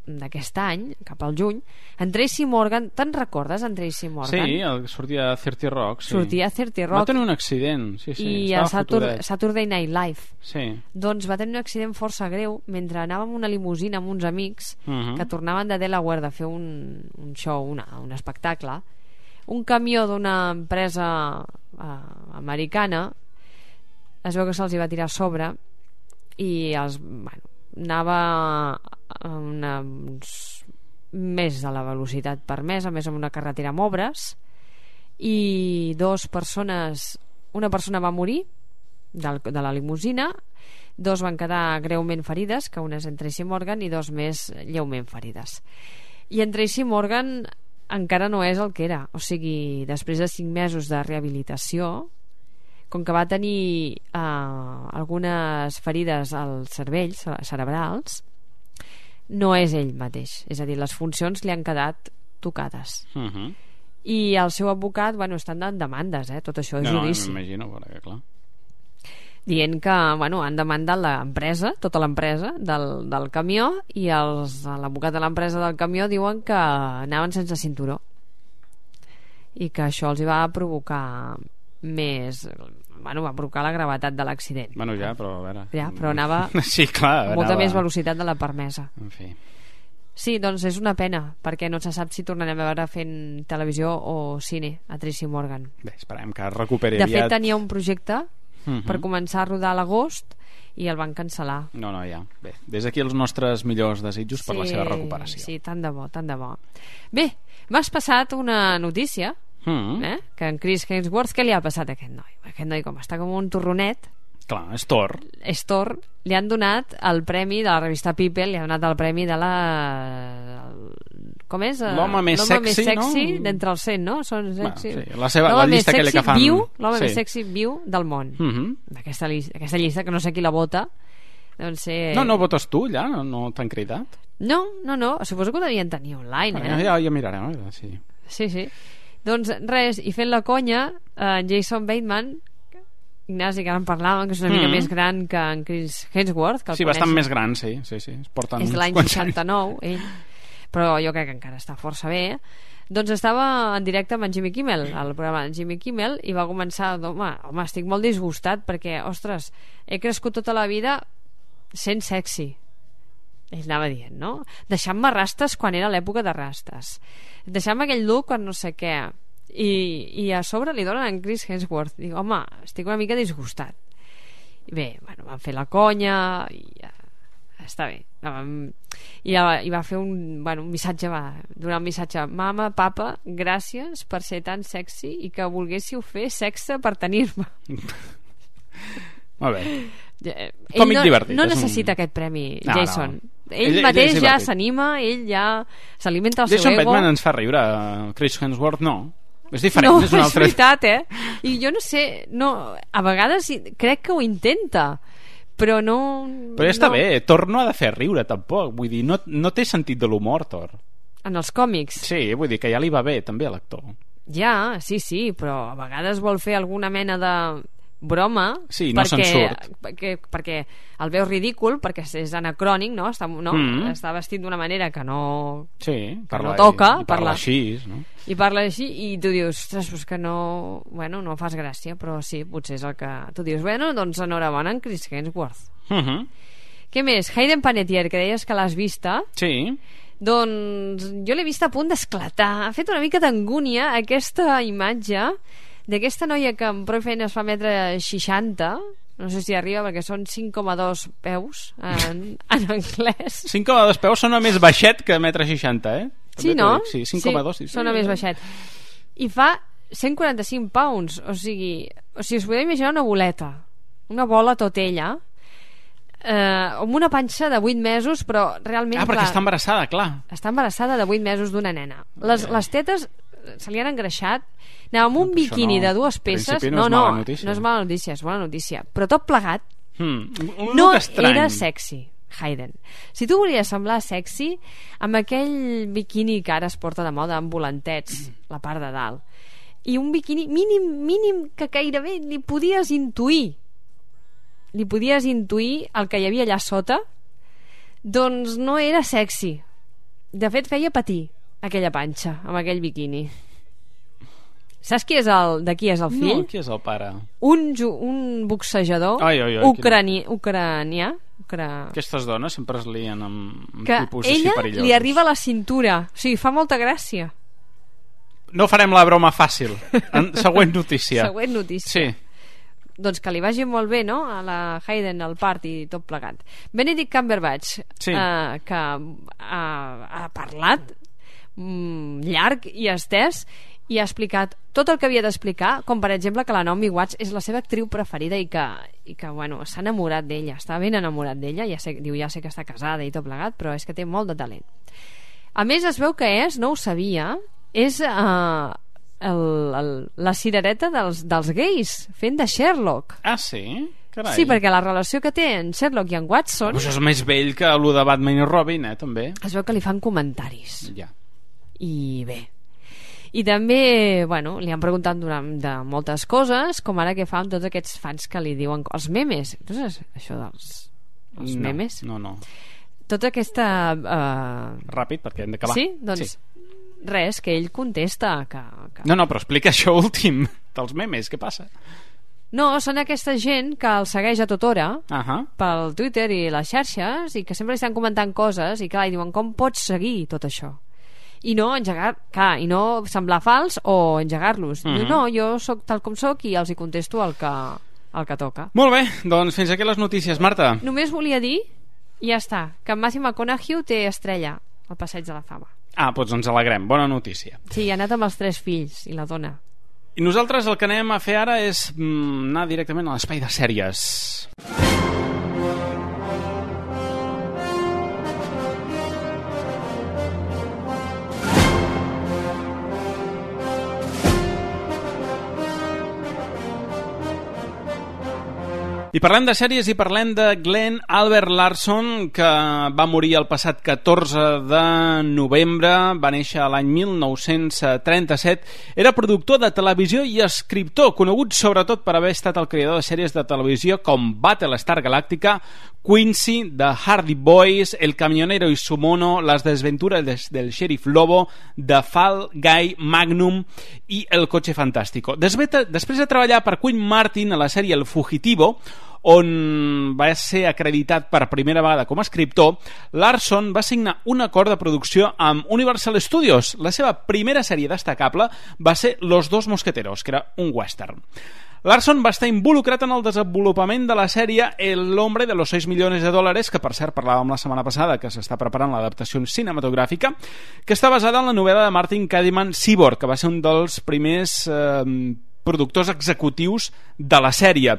C: d'aquest any, cap al juny, en Tracy Morgan, te'n recordes en Tracy Morgan?
B: Sí, el que sortia a thirty Rock, sí.
C: Sortia a thirty Rock.
B: Va tenir un accident, sí, sí.
C: I a Saturday, Saturday Night Live.
B: Sí.
C: Doncs va tenir un accident força greu mentre anava amb una limusina amb uns amics uh -huh. que tornaven de Delaware de fer un, un show, una, un espectacle. Un camió d'una empresa uh, americana es veu que se'ls va tirar a sobre i els, bueno, anava a una, uns, més de la velocitat permesa, més amb una carretera amb obres, i dos persones, una persona va morir del, de la limusina, dos van quedar greument ferides, que una és en Tracy Morgan i dos més lleument ferides. I en Tracy Morgan encara no és el que era, o sigui, després de cinc mesos de rehabilitació, com que va tenir uh, algunes ferides als cervells cerebrals, no és ell mateix, és a dir, les funcions li han quedat tocades. Uh -huh. I el seu advocat, bueno, estan en demandes, eh? Tot això és
B: no,
C: judici.
B: No, m'imagino, perquè clar.
C: dient que bueno, han demandat l'empresa, tota l'empresa del, del camió, i els, l'advocat de l'empresa del camió diuen que anaven sense cinturó i que això els hi va provocar més... Bueno, va provocar la gravetat de l'accident.
B: Bueno, ja, però a veure...
C: Ja, però anava
B: sí, clar,
C: amb molta
B: anava...
C: més velocitat de la permesa.
B: En fi...
C: Sí, doncs és una pena, perquè no se sap si tornarem a veure fent televisió o cine a Tracy Morgan.
B: Bé, esperem que recuperi
C: de
B: aviat.
C: De fet, tenia un projecte
B: uh-huh.
C: per començar a rodar a l'agost i el van cancel·lar.
B: No, no, ja. Bé, des d'aquí els nostres millors desitjos
C: sí,
B: per la seva recuperació.
C: Sí, tant de bo, tant de bo. Bé, m'has passat una notícia, uh-huh. eh? que en Chris Hemsworth, què li ha passat a aquest noi? Aquest noi, com està com un torronet...
B: Clar, és Thor.
C: És Thor. Li han donat el premi de la revista People, li han donat el premi de la... Com és?
B: L'home més sexy,
C: més sexy
B: no?
C: d'entre els cent, no? Són sexy.
B: Bueno, sí. La, seva, la llista que li que fan...
C: Viu, l'home
B: sí.
C: més sexy viu del món.
B: Uh-huh.
C: Aquesta, aquesta llista, que no sé qui la vota. Doncs ser...
B: No, no votes tu, ja? No, no t'han cridat?
C: No, no, no. Suposo que ho devien tenir online, eh?
B: Ja, ja mirarem, eh? Sí.
C: Sí, sí. Doncs res, i fent la conya, eh, Jason Bateman... Ignasi, que ara en parlàvem, que és una mica mm. més gran que en Chris Hemsworth, que el
B: sí,
C: coneix.
B: bastant més gran, sí, sí, sí. Porten
C: és de l'any seixanta-nou, ell, però jo crec que encara està força bé. Doncs estava en directe amb en Jimmy Kimmel, al programa de Jimmy Kimmel, i va començar, home, home, estic molt disgustat perquè, ostres, he crescut tota la vida sent sexy. Ell anava dient, no? Deixant-me rastes quan era l'època de rastes. Deixant-me aquell look quan no sé què. I, i a sobre li donen en Chris Hemsworth. Dic, home, estic una mica disgustat. I bé, bueno, van fer la conya i ja, està bé. I, i va fer un, bueno, un missatge, va donar un missatge: mama, papa, gràcies per ser tan sexy i que volguéssiu fer sexe per tenir-me.
B: Molt bé.
C: Ell Còmic no, divertit. No necessita un... aquest premi, no, Jason. No. Ell, ell mateix ell ja s'anima, ell ja s'alimenta el
B: Jason
C: seu ego.
B: Jason Bateman ens fa riure, Chris Hemsworth no. És diferent,
C: no,
B: és un altre...
C: és veritat, eh? I jo no sé, no, a vegades crec que ho intenta, però no...
B: Però ja està
C: no...
B: bé, Thor no ha de fer riure tampoc, vull dir, no, no té sentit de l'humor, Thor.
C: En els còmics?
B: Sí, vull dir que ja li va bé també a l'actor.
C: Ja, sí, sí, però a vegades vol fer alguna mena de broma,
B: sí, no
C: perquè,
B: se'n surt.
C: perquè, perquè el veu ridícul, perquè és anacrònic, no? Està, no? Mm. Està vestit d'una manera que no,
B: sí, parla,
C: que no toca,
B: i, i parla, parla així, no?
C: I parla així i tu dius, ostres, pues que no, bueno, no fas gràcia, però sí, potser és el que tu dius. Bueno, doncs enhorabona en Chris Hemsworth.
B: Uh-huh.
C: Què més? Hayden Panettiere, que deies que l'has vista.
B: Sí.
C: Doncs jo l'he vista a punt d'esclatar. Ha fet una mica d'angúnia aquesta imatge d'aquesta noia que amb prou feina es fa metre seixanta, no sé si arriba perquè són cinc coma dos peus en, en anglès.
B: cinc coma dos peus sona més baixet que metre seixanta, eh? També
C: sí, no?
B: Sí, cinc coma dos.
C: Sí, sona més baixet. I fa cent quaranta-cinc pounds, o sigui, o sigui, us podeu imaginar una boleta, una bola tot ella, eh, amb una panxa de vuit mesos, però realment...
B: Ah, perquè
C: clar,
B: està embarassada, clar.
C: Està embarassada de vuit mesos d'una nena. Les, les tetes se li han engreixat. Anava amb un no, biquini no. de dues peces.
B: No,
C: no,
B: no,
C: no és mala notícia, és bona notícia. Però tot plegat
B: hmm, un
C: no
B: estrany.
C: Era sexy, Hayden. Si tu volies semblar sexy, amb aquell biquini que ara es porta de moda amb volantets, la part de dalt, i un biquini mínim, mínim que gairebé li podies intuir li podies intuir el que hi havia allà sota, doncs no era sexy. De fet, feia patir aquella panxa amb aquell biquini. Saps qui és el, de qui és el fill?
B: No, qui és el pare?
C: Un, un boxejador
B: ai, ai, ai,
C: ucrani, ucranià. Ucra...
B: Aquestes dones sempre es lien amb, amb
C: que
B: tipus així perillosos.
C: Que ella li arriba a la cintura. O sigui, fa molta gràcia.
B: No farem la broma fàcil. En, següent notícia.
C: Següent notícia.
B: Sí.
C: Doncs que li vagi molt bé, no?, a la Hayden, al part i tot plegat. Benedict Cumberbatch,
B: sí.
C: eh, que ha, ha parlat mm, llarg i estès i ha explicat tot el que havia d'explicar, com per exemple que la Naomi Watts és la seva actriu preferida i que, i que bueno, s'ha enamorat d'ella, està ben enamorat d'ella, ja sé, diu, ja sé que està casada i tot plegat, però és que té molt de talent. A més, es veu que és, no ho sabia, és eh, el, el, la cirereta dels, dels gais fent de Sherlock.
B: Ah, sí? Carai.
C: Sí, perquè la relació que té en Sherlock i en Watson...
B: Pues és més vell que el de Batman i Robin, eh, també.
C: Es veu que li fan comentaris.
B: Ja.
C: I bé. I també, bueno, li han preguntat durant de moltes coses, com ara què fa amb tots aquests fans que li diuen els memes. Entonces, això dels els
B: no,
C: memes?
B: No, no.
C: Tota aquesta... Uh...
B: Ràpid, perquè hem d'acabar.
C: Sí? Doncs sí. Res, que ell contesta que, que...
B: No, no, però explica això últim dels memes, què passa?
C: No, són aquesta gent que el segueix a tota hora
B: uh-huh.
C: pel Twitter i les xarxes i que sempre li estan comentant coses i clar, i diuen com pots seguir tot això? I no engegar, clar, i no semblar fals o engegar-los. Uh-huh. No, jo sóc tal com sóc i els hi contesto el que, el que toca.
B: Molt bé, doncs fins aquí les notícies, Marta.
C: Només volia dir, i ja està, que en Matthew McConaughey té estrella al Passeig de la Fama.
B: Ah, doncs ens alegrem, bona notícia.
C: Sí, ha anat amb els tres fills i la dona.
B: I nosaltres el que anem a fer ara és mm, anar directament a l'espai de sèries. I parlem de sèries i parlem de Glenn Albert Larson, que va morir el passat catorze de novembre, va néixer l'any mil nou-cents trenta-set, era productor de televisió i escriptor, conegut sobretot per haver estat el creador de sèries de televisió com Battlestar Galactica, Quincy, The Hardy Boys, El Camionero y su mono, Las desventuras del Sheriff Lobo, The Fall Guy, Magnum i El Coche Fantástico. Després de treballar per Quinn Martin a la sèrie El Fugitivo, on va ser acreditat per primera vegada com a escriptor, Larson va signar un acord de producció amb Universal Studios. La seva primera sèrie destacable va ser Los dos mosqueteros, que era un western. Larson va estar involucrat en el desenvolupament de la sèrie El hombre de los seis millones de dólares, que per cert parlàvem la setmana passada que s'està preparant l'adaptació cinematogràfica, que està basada en la novel·la de Martin Kadiman, Cyborg, que va ser un dels primers eh, productors executius de la sèrie.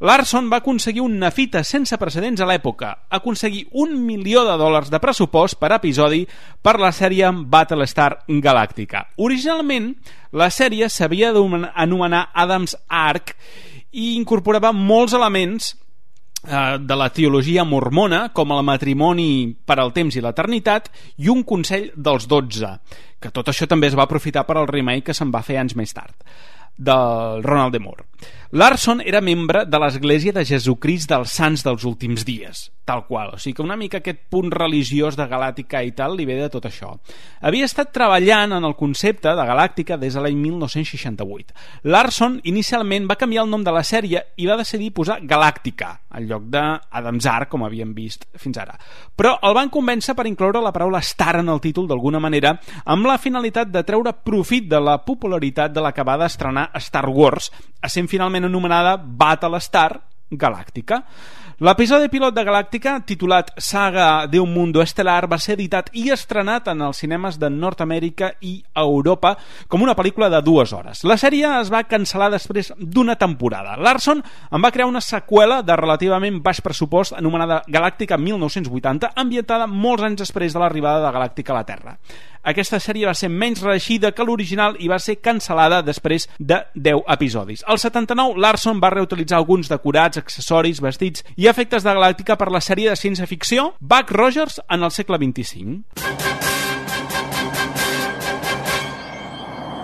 B: Larson va aconseguir una fita sense precedents a l'època, aconseguir un milió de dòlars de pressupost per episodi per la sèrie Battlestar Galactica. Originalment, la sèrie s'havia d'anomenar Adam's Ark i incorporava molts elements eh, de la teologia mormona, com el matrimoni per al temps i l'eternitat i un consell dels dotze, que tot això també es va aprofitar per al remake que se'n va fer anys més tard, del Ronald D. Moore. Larson era membre de l'Església de Jesucrist dels Sants dels Últims Dies, tal qual, o sigui que una mica aquest punt religiós de Galàctica i tal li ve de tot això. Havia estat treballant en el concepte de Galàctica des de l'any mil nou-cents seixanta-vuit. Larson inicialment va canviar el nom de la sèrie i va decidir posar Galàctica en lloc d'Adam's Ark, com havíem vist fins ara. Però el van convèncer per incloure la paraula Star en el títol d'alguna manera, amb la finalitat de treure profit de la popularitat de la que va d'estrenar Star Wars, essent finalment anomenada Battlestar Galàctica. L'episodi pilot de Galàctica, titulat Saga de un mundo estelar, va ser editat i estrenat en els cinemes de Nord-Amèrica i Europa com una pel·lícula de dues hores. La sèrie es va cancel·lar després d'una temporada. Larson en va crear una seqüela de relativament baix pressupost anomenada Galàctica mil nou-cents vuitanta, ambientada molts anys després de l'arribada de Galàctica a la Terra. Aquesta sèrie va ser menys reeixida que l'original i va ser cancel·lada després de deu episodis. Al setanta-nou, Larson va reutilitzar alguns decorats, accessoris, vestits i efectes de Galàctica per la sèrie de ciència-ficció Buck Rogers en el segle vint-i-cinc.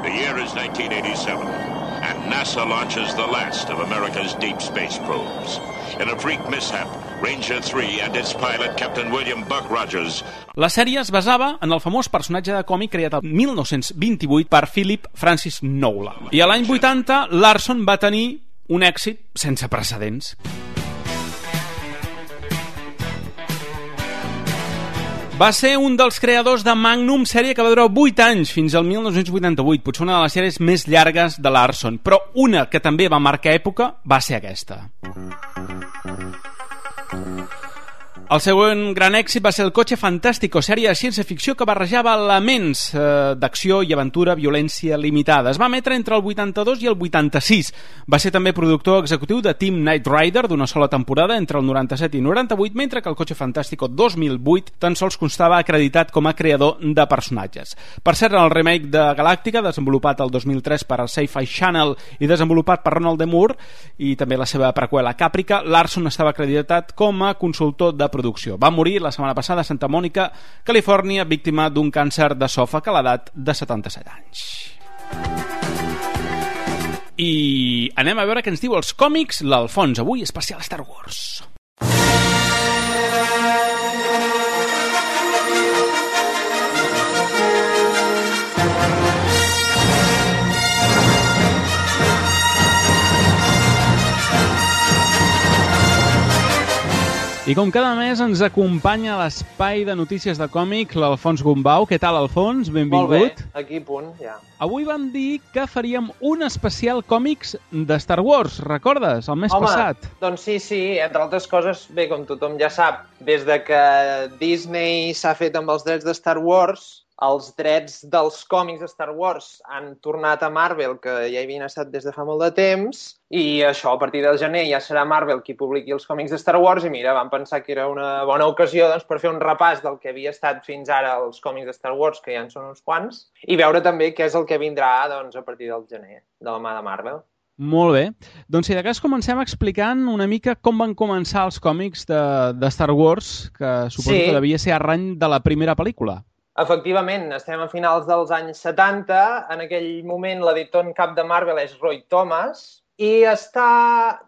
K: The year is nineteen eighty-seven, and NASA launches the last of America's deep space probes. In a freak mishap, Ranger three and its pilot, Captain William Buck Rogers.
B: La sèrie es basava en el famós personatge de còmic creat el mil nou-cents vint-i-vuit per Philip Francis Nolan. I a l'any vuitanta, Larson va tenir un èxit sense precedents. Va ser un dels creadors de Magnum, sèrie que va durar vuit anys, fins al mil nou-cents vuitanta-vuit, potser una de les sèries més llargues de Larson, però una que també va marcar època va ser aquesta. El següent gran èxit va ser El Coche Fantástico, sèrie de ciència-ficció que barrejava elements eh, d'acció i aventura, violència limitada. Es va emetre entre el vuitanta-dos i el vuitanta-sis. Va ser també productor executiu de Team Knight Rider d'una sola temporada entre el noranta-set i noranta-vuit, mentre que El Coche Fantástico dos mil vuit tan sols constava acreditat com a creador de personatges. Per cert, en el remake de Galàctica, desenvolupat el dos mil tres per al Sci-Fi Channel i desenvolupat per Ronald D. Moore, i també la seva preqüela Caprica, Larson estava acreditat com a consultor de producció. Va morir la setmana passada a Santa Mònica, Califòrnia, víctima d'un càncer d'esòfag a l'edat de setanta-set anys. I anem a veure què ens diu els còmics l'Alfons, avui especial Star Wars. I com cada mes ens acompanya a l'espai de notícies de còmic l'Alfons Gombau. Què tal, Alfons? Benvingut.
L: Molt bé, aquí a punt, ja.
B: Avui vam dir que faríem un especial còmics de Star Wars, recordes? El mes
L: Home,
B: passat.
L: Doncs sí, sí, entre altres coses, bé, com tothom ja sap, des de que Disney s'ha fet amb els drets de Star Wars, els drets dels còmics de Star Wars han tornat a Marvel, que ja hi havien estat des de fa molt de temps, i això, a partir del gener ja serà Marvel qui publiqui els còmics de Star Wars, i mira, vam pensar que era una bona ocasió doncs, per fer un repàs del que havia estat fins ara els còmics de Star Wars, que ja en són uns quants, i veure també què és el que vindrà doncs, a partir del gener, de la mà de Marvel.
B: Molt bé. Doncs si de cas comencem explicant una mica com van començar els còmics de, de Star Wars, que suposo sí. que devia ser arrany de la primera pel·lícula.
L: Efectivament, estem a finals dels anys setanta. En aquell moment l'editor en cap de Marvel és Roy Thomas i està...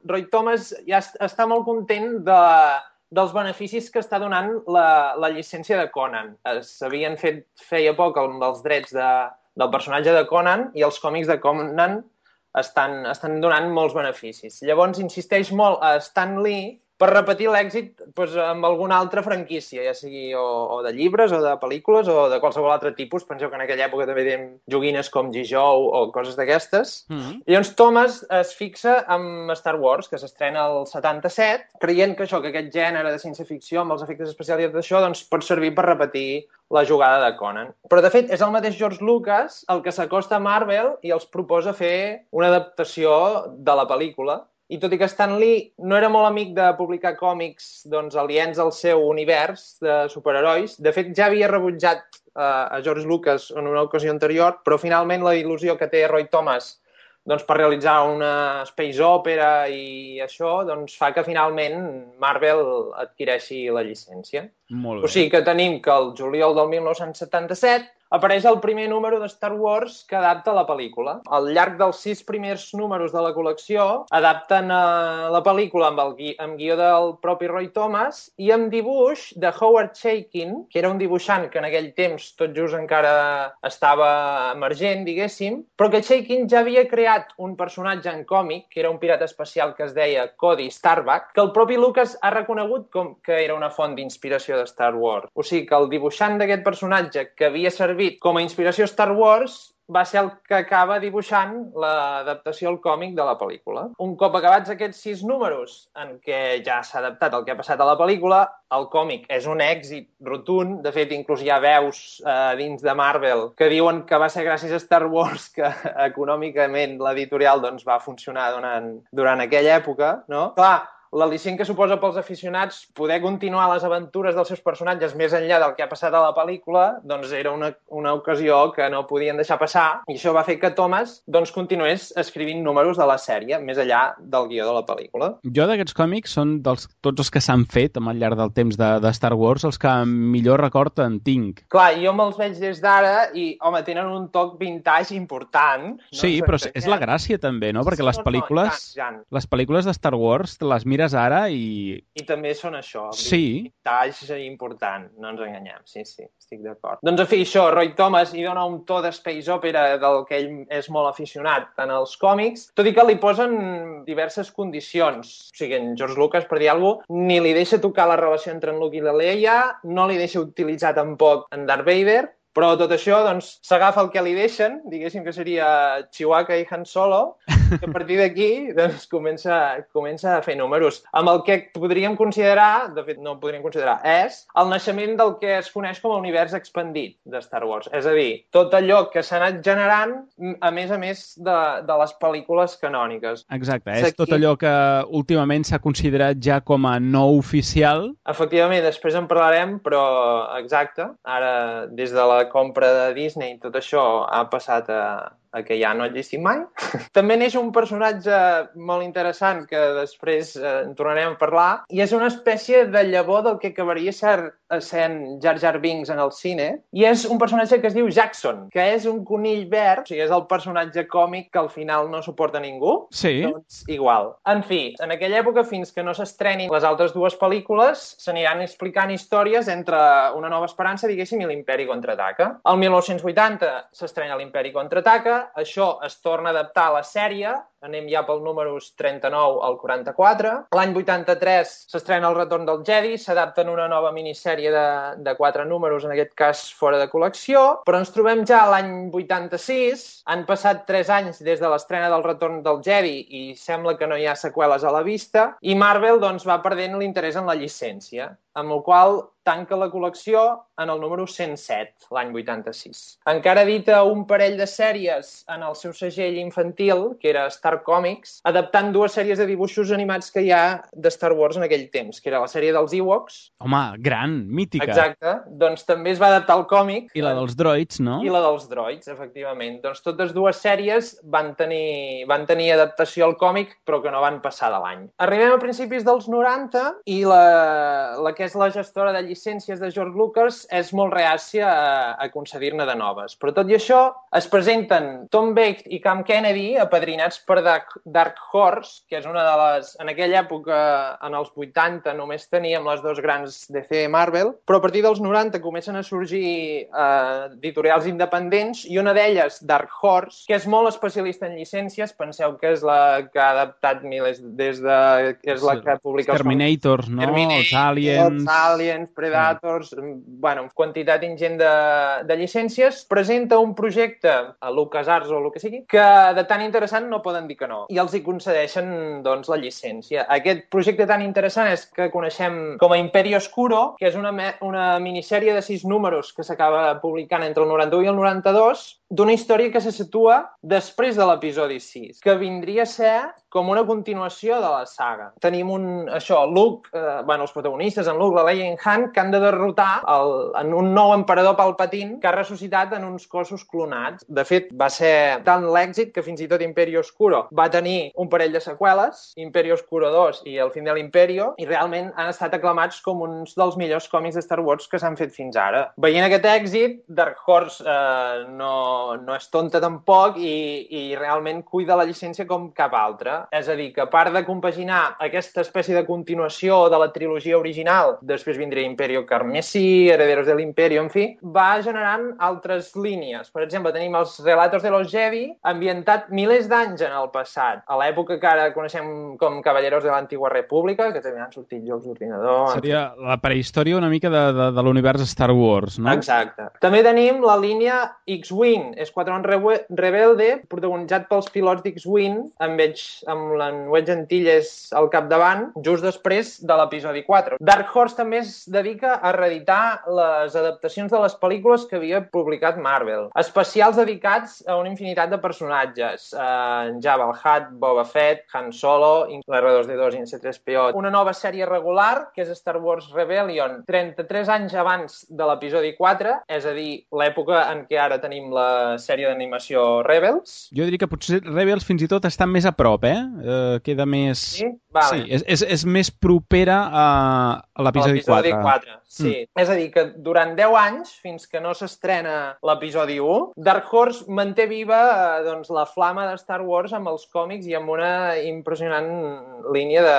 L: Roy Thomas ja està molt content de, dels beneficis que està donant la, la llicència de Conan. S'havien fet feia poc amb els drets de, del personatge de Conan i els còmics de Conan estan, estan donant molts beneficis. Llavors insisteix molt a Stan Lee per repetir l'èxit doncs, amb alguna altra franquícia, ja sigui o, o de llibres, o de pel·lícules, o de qualsevol altre tipus. Penseu que en aquella època també tenim joguines com G-Joe o coses d'aquestes. Mm-hmm. Llavors Thomas es fixa amb Star Wars, que s'estrena el setanta-set, creient que això, que aquest gènere de ciència-ficció amb els efectes especials i tot això, doncs, pot servir per repetir la jugada de Conan. Però, de fet, és el mateix George Lucas el que s'acosta a Marvel i els proposa fer una adaptació de la pel·lícula. I tot i que Stan Lee no era molt amic de publicar còmics doncs, aliens al seu univers de superherois, de fet ja havia rebutjat uh, a George Lucas en una ocasió anterior, però finalment la il·lusió que té Roy Thomas doncs, per realitzar una space opera i això doncs, fa que finalment Marvel adquireixi la llicència.
B: Molt bé.
L: O sigui que tenim que el juliol del mil nou-cents setanta-set apareix el primer número de Star Wars que adapta la pel·lícula. Al llarg dels sis primers números de la col·lecció adapten uh, la pel·lícula amb, el gui amb guió del propi Roy Thomas i amb dibuix de Howard Chaykin, que era un dibuixant que en aquell temps tot just encara estava emergent, diguéssim, però que Chaykin ja havia creat un personatge en còmic, que era un pirata espacial que es deia Cody Starbuck, que el propi Lucas ha reconegut com que era una font d'inspiració de Star Wars. O sigui que el dibuixant d'aquest personatge que havia servit com a inspiració Star Wars va ser el que acaba dibuixant l'adaptació al còmic de la pel·lícula. Un cop acabats aquests sis números en què ja s'ha adaptat el que ha passat a la pel·lícula, el còmic és un èxit rotund. De fet, inclús hi ha veus eh, dins de Marvel que diuen que va ser gràcies a Star Wars que econòmicament l'editorial doncs, va funcionar durant, durant aquella època. No? Clar, l'al·licient que suposa pels aficionats poder continuar les aventures dels seus personatges més enllà del que ha passat a la pel·lícula, doncs era una, una ocasió que no podien deixar passar, i això va fer que Thomas doncs, continués escrivint números de la sèrie, més enllà del guió de la pel·lícula.
B: Jo d'aquests còmics són dels, tots els que s'han fet al llarg del temps de, de Star Wars, els que millor record en tinc.
L: Clar, jo me'ls veig des d'ara i, home, tenen un toc vintage important. No?
B: Sí, però és la gràcia també, no? Perquè les pel·lícules, les pel·lícules de Star Wars te les mires ara i...
L: I també són això,
B: sí.
L: vintage important, no ens enganyem, sí, sí, estic d'acord. Doncs, en fi, això, Roy Thomas hi dona un to de space opera del que ell és molt aficionat en els còmics, tot i que li posen diverses condicions. O sigui, en George Lucas, per dir alguna cosa, ni li deixa tocar la relació entre en Luke i la Leia, no li deixa utilitzar tampoc en Darth Vader, però tot això, doncs, s'agafa el que li deixen, diguéssim que seria Chewbacca i Han Solo, que a partir d'aquí, doncs, comença, comença a fer números. Amb el que podríem considerar, de fet no podríem considerar, és el naixement del que es coneix com a univers expandit de Star Wars. És a dir, tot allò que s'ha anat generant, a més a més de, de les pel·lícules canòniques.
B: Exacte, és tot allò que últimament s'ha considerat ja com a no oficial.
L: Efectivament, després en parlarem, però exacte, ara des de la compra de Disney tot això ha passat a, a que ja no existim mai. També neix un personatge molt interessant que després eh, en tornarem a parlar, i és una espècie de llavor del que acabaria ser essent Jar Jar Binks en el cine, i és un personatge que es diu Jackson, que és un conill verd, o sigui, és el personatge còmic que al final no suporta ningú.
B: Sí.
L: Doncs igual. En fi, en aquella època, fins que no s'estrenin les altres dues pel·lícules, s'aniran explicant històries entre Una nova esperança, diguéssim, i l'Imperi contraataca. El mil nou-cents vuitanta s'estrena l'Imperi contraataca, això es torna a adaptar a la sèrie, anem ja pel números trenta-nou al quaranta-quatre. L'any vuitanta-tres s'estrena El retorn del Jedi, s'adapta en una nova minissèrie de, de quatre números, en aquest cas fora de col·lecció, però ens trobem ja a l'any vuitanta-sis, han passat tres anys des de l'estrena del retorn del Jedi i sembla que no hi ha seqüeles a la vista, i Marvel doncs, va perdent l'interès en la llicència, amb el qual tanca la col·lecció en el número cent set, l'any vuitanta-sis. Encara edita un parell de sèries en el seu segell infantil, que era Star Comics, adaptant dues sèries de dibuixos animats que hi ha de Star Wars en aquell temps, que era la sèrie dels Ewoks.
B: Home, gran, mítica.
L: Exacte. Doncs també es va adaptar al còmic.
B: I la dels droids, no?
L: I la dels droids, efectivament. Doncs totes dues sèries van tenir, van tenir adaptació al còmic, però que no van passar de l'any. Arribem a principis dels noranta i la, la que és la gestora de llicències de George Lucas és molt reàcia a, a concedir-ne de noves. Però tot i això, es presenten Tom Vext i Cam Kennedy, apadrinats per Dark, Dark Horse, que és una de les... En aquella època, en els vuitanta, només teníem les dos grans D C Marvel, però a partir dels noranta comencen a sorgir eh, editorials independents i una d'elles, Dark Horse, que és molt especialista en llicències, penseu que és la que ha adaptat milers des de... és la que publica els
B: Terminators, no?
L: Terminator,
B: els Aliens...
L: Els Aliens, Predators... Mm. Bueno, quantitat ingent de, de llicències. Presenta un projecte a LucasArts o el que sigui, que de tan interessant no poden dir que no. I els hi concedeixen, doncs, la llicència. Aquest projecte tan interessant és que coneixem com a Imperi Oscuro, que és una, una minissèrie de sis números que s'acaba publicant entre el noranta-u i el noranta-dos, d'una història que se situa després de l'episodi sis, que vindria a ser com una continuació de la saga. Tenim un, això, Luke, eh, bueno, els protagonistes, en Luke, la Leia i en Han, que han de derrotar el, en un nou emperador Palpatine que ha ressuscitat en uns cossos clonats. De fet, va ser tant l'èxit que fins i tot Imperi Oscuro va tenir un parell de seqüeles, Imperi Oscuro dos i El fin de l'Imperio, i realment han estat aclamats com uns dels millors còmics de Star Wars que s'han fet fins ara. Veient aquest èxit, Dark Horse eh, no no és tonta tampoc i, i realment cuida la llicència com cap altra. És a dir, que a part de compaginar aquesta espècie de continuació de la trilogia original, després vindria Imperio Carmesí, Herederos de l'Imperio, en fi, va generant altres línies. Per exemple, tenim els Relatos de los Jedi, ambientat milers d'anys en el passat, a l'època que ara coneixem com Caballeros de l'Antigua República, que també han sortit jocs d'ordinador...
B: Seria la prehistòria una mica de, de, de l'univers Star Wars, no?
L: Exacte. També tenim la línia X-Wing, Esquadrón Rebelde, protagonitzat pels pilots d'X-Wing, amb, amb l'Enwedge Antilles al capdavant, just després de l'episodi quatre. Dark Horse també es dedica a reeditar les adaptacions de les pel·lícules que havia publicat Marvel. Especials dedicats a una infinitat de personatges. En Jabba el Hutt, Boba Fett, Han Solo, l'R dos D dos i en C tres P O. Una nova sèrie regular, que és Star Wars Rebellion, trenta-tres anys abans de l'episodi quatre, és a dir, l'època en què ara tenim la sèrie d'animació Rebels.
B: Jo diria que potser Rebels fins i tot està més a prop, eh? Uh, queda més...
L: Sí? Vale.
B: Sí, és, és, és més propera a, a l'episodi quatre.
L: quatre. Sí. Mm. És a dir, que durant deu anys, fins que no s'estrena l'episodi u, Dark Horse manté viva eh, doncs, la flama de Star Wars amb els còmics i amb una impressionant línia de,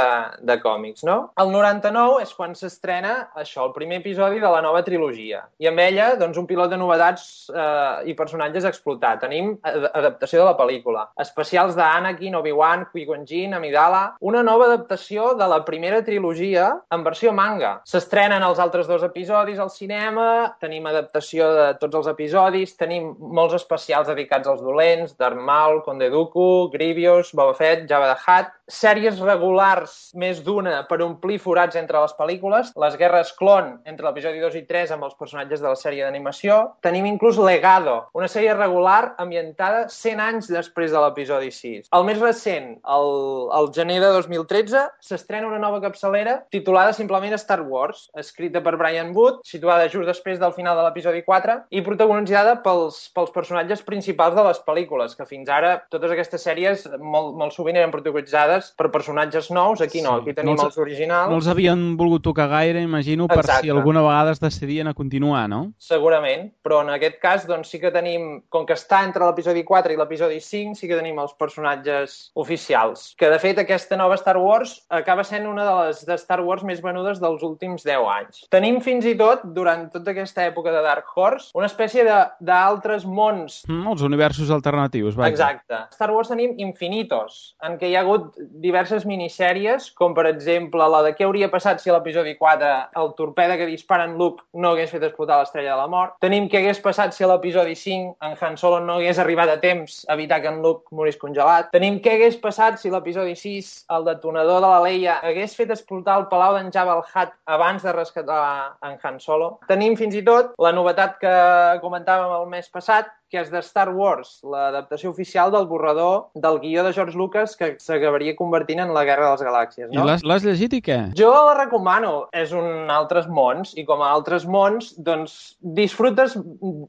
L: de còmics, no? El noranta-nou és quan s'estrena això, el primer episodi de la nova trilogia. I amb ella, doncs, un pilot de novetats eh, i personatges a explotar. Tenim adaptació de la pel·lícula, especials d'Anakin, Obi-Wan, Qui-Gon Jinn, Amidala, una nova adaptació de la primera trilogia en versió manga. S'estrenen els altres dos episodis al cinema, tenim adaptació de tots els episodis, tenim molts especials dedicats als dolents, Darth Maul, Conde Dooku, Grievous, Boba Fett, Jabba the Hutt, sèries regulars més d'una per omplir forats entre les pel·lícules, les guerres clon entre l'episodi dos i tres amb els personatges de la sèrie d'animació, tenim inclús Legado, una sèrie regular ambientada cent anys després de l'episodi sis. El més recent, el, el gener de dos mil tretze, s'estrena una nova capçalera titulada simplement Star Wars, escrita per Brian Wood, situada just després del final de l'episodi quatre i protagonitzada pels, pels personatges principals de les pel·lícules, que fins ara totes aquestes sèries molt, molt sovint eren protagonitzades per personatges nous. Aquí no, aquí tenim no els, els originals.
B: No els havien volgut tocar gaire, imagino, per Exacte. Si alguna vegada es decidien a continuar, no?
L: Segurament, però en aquest cas doncs, sí que tenim, com que està entre l'episodi quatre i l'episodi cinc, sí que tenim els personatges oficials. Que, de fet, aquesta nova Star Wars acaba sent una de les de Star Wars més venudes dels últims deu anys. Tenim fins i tot, durant tota aquesta època de Dark Horse, una espècie d'altres mons.
B: Mm, els universos alternatius, vaja.
L: Exacte. A Star Wars tenim infinitos, en què hi ha hagut diverses minissèries, com per exemple la de què hauria passat si a l'episodi quatre el torpede que dispara en Luke no hagués fet explotar l'estrella de la mort. Tenim què hagués passat si a l'episodi cinc en Han Solo no hagués arribat a temps a evitar que en Luke morís congelat. Tenim què hagués passat si l'episodi sis, el detonador de la Leia, hagués fet explotar el palau d'en Jabba el Hutt abans de rescatar en Han Solo. Tenim fins i tot la novetat que comentàvem el mes passat, que és de Star Wars, l'adaptació oficial del borrador del guió de George Lucas que s'acabaria convertint en la Guerra de les Galàxies. No?
B: I l'has llegit i què?
L: Jo la recomano. És un altres mons, i com a altres mons, doncs disfrutes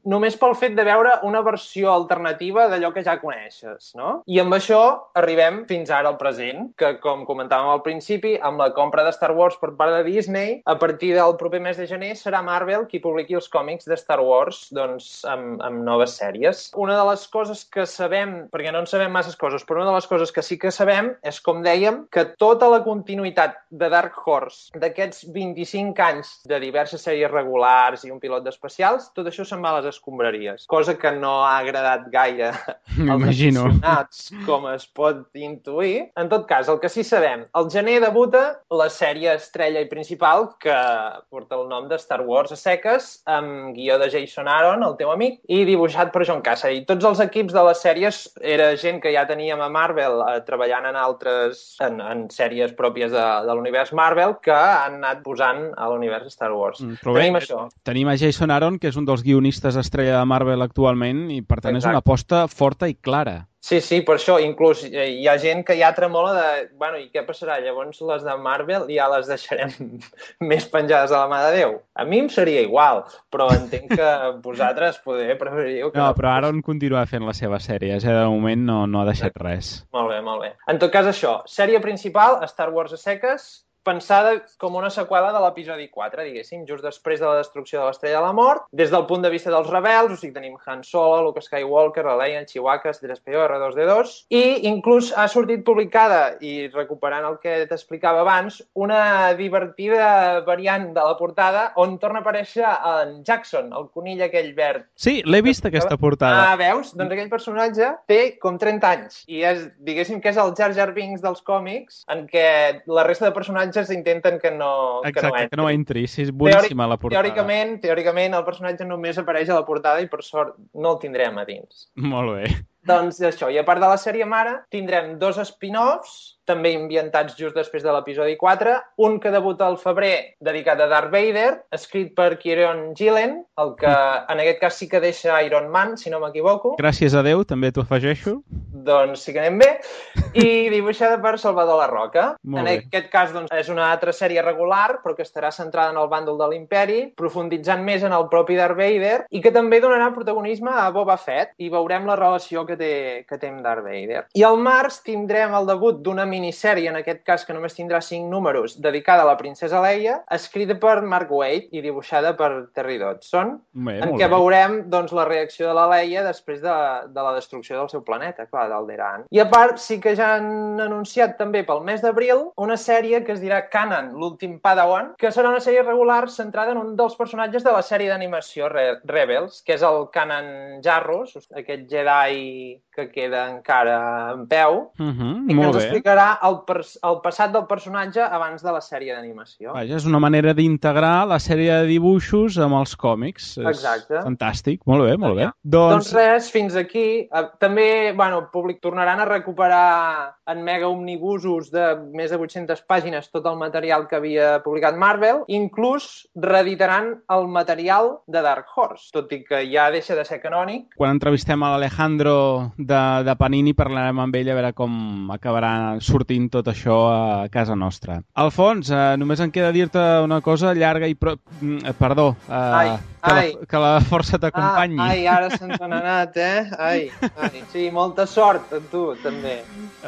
L: només pel fet de veure una versió alternativa d'allò que ja coneixes, no? I amb això arribem fins ara al present, que com comentàvem al principi, amb la compra de Star Wars per part de Disney, a partir del proper mes de gener serà Marvel qui publiqui els còmics de Star Wars doncs, amb, amb noves sèries. Una de les coses que sabem, perquè no en sabem masses coses, però una de les coses que sí que sabem és, com dèiem, que tota la continuïtat de Dark Horse d'aquests vint-i-cinc anys de diverses sèries regulars i un pilot d'especials, tot això se'n va a les escombraries, cosa que no ha agradat gaire als aficionats, com es pot intuir. En tot cas, el que sí sabem, al gener debuta la sèrie estrella i principal que porta el nom de Star Wars a seques, amb guió de Jason Aaron, el teu amic, i dibuixat per John Cassidy. Tots els equips de les sèries era gent que ja teníem a Marvel eh, treballant en altres, en, en sèries pròpies de, de l'univers Marvel que han anat posant a l'univers Star Wars. Mm, tenim bé, això.
B: Tenim a Jason Aaron, que és un dels guionistes estrella de Marvel actualment, i per tant Exacte. És una aposta forta i clara.
L: Sí, sí, per això, inclús hi ha gent que ja tremola de, bueno, i què passarà? Llavors les de Marvel ja les deixarem més penjades a la mà de Déu. A mi em seria igual, però entenc que vosaltres poder preferiu que
B: no. No, però Aaron continua fent la seva sèrie, ja de moment no, no ha deixat res.
L: Molt bé, molt bé. En tot cas, això, sèrie principal, Star Wars a seques, pensada com una seqüela de l'episodi quatre, diguéssim, just després de la destrucció de l'Estrella de la Mort, des del punt de vista dels rebels, o sigui, tenim Han Solo, Luke Skywalker, la Leia, Chewbacca, C tres P O, R dos D dos, i inclús ha sortit publicada, i recuperant el que t'explicava abans, una divertida variant de la portada on torna a aparèixer en Jackson, el conill aquell verd.
B: Sí, l'he vist aquesta portada.
L: Ah, veus? Doncs aquell personatge té com trenta anys, i és, diguéssim que és el Jar Jar Binks dels còmics, en què la resta de personatges intenten que no,
B: Exacte,
L: que no entri.
B: que no entri. Sí, és boníssima la portada.
L: Teòricament, teòricament, el personatge només apareix a la portada i, per sort, no el tindrem a dins.
B: Molt bé.
L: Doncs això, i a part de la sèrie mare, tindrem dos spin-offs, també ambientats just després de l'episodi quatre, un que debuta al febrer dedicat a Darth Vader, escrit per Kieron Gillen, el que en aquest cas sí que deixa Iron Man, si no m'equivoco.
B: Gràcies a Déu, també t'ho afegeixo.
L: Doncs sí que anem bé. I dibuixada per Salvador La Roca.
B: Molt
L: en
B: bé.
L: aquest cas doncs, és una altra sèrie regular, però que estarà centrada en el bàndol de l'Imperi, profunditzant més en el propi Darth Vader, i que també donarà protagonisme a Boba Fett, i veurem la relació que té, que té amb Darth Vader. I al març tindrem el debut d'una minissèrie, en aquest cas que només tindrà cinc números, dedicada a la princesa Leia, escrita per Mark Waid i dibuixada per Terry Dodson,
B: bé,
L: en què bé. veurem doncs, la reacció de la Leia després de, de la destrucció del seu planeta, clar, d'Alderaan. I a part, sí que ja han anunciat també pel mes d'abril una sèrie que es dirà Kanan, l'últim Padawan, que serà una sèrie regular centrada en un dels personatges de la sèrie d'animació Re Rebels, que és el Kanan Jarrus, aquest Jedi que queda encara en peu,
B: uh -huh,
L: i que
B: molt
L: ens
B: bé.
L: explicarà el, el passat del personatge abans de la sèrie d'animació.
B: Vaja, és una manera d'integrar la sèrie de dibuixos amb els còmics. És
L: Exacte.
B: Fantàstic, molt bé, molt bé.
L: Doncs... doncs res, fins aquí. Uh, també, bueno, públic tornaran a recuperar en mega omnibusos de més de vuit-centes pàgines tot el material que havia publicat Marvel, inclús reeditaran el material de Dark Horse, tot i que ja deixa de ser canònic.
B: Quan entrevistem a l'Alejandro de, de Panini parlarem amb ell a veure com acabarà sortint tot això a casa nostra. Alfons, eh, només em queda dir-te una cosa llarga i... Pro... Perdó, eh,
L: ai,
B: que,
L: ai.
B: La, que la força t'acompanyi.
L: Ah, ai, ara se'ns n'ha anat, eh? Ai, ai. Sí, molta sort a tu, també.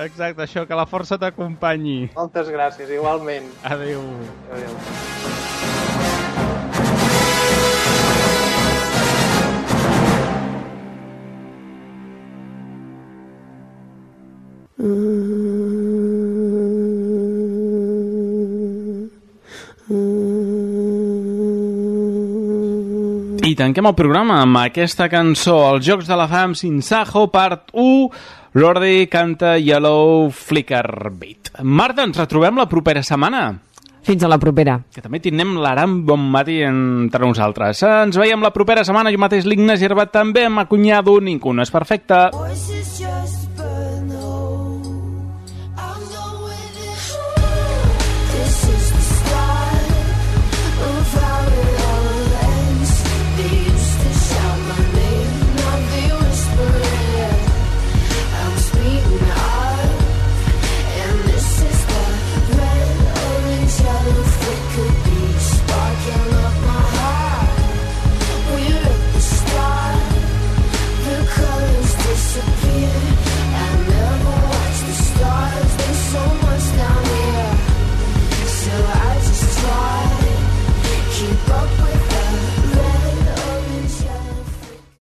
B: Exacte, això, que la força t'acompanyi.
L: Moltes gràcies, igualment.
B: Adéu.
L: Adéu.
B: I tanquem el programa amb aquesta cançó, Els Jocs de la Fam Sinsajo, part u, Lordi canta Yellow Flicker Beat. Marta, ens retrobem la propera setmana.
C: Fins a la propera.
B: Que també tindrem l'Aram Bonmati entre nosaltres. Ens veiem la propera setmana. Jo mateix, l'Ignasi Herbat, també amb Acunyado. Ningú no és perfecte.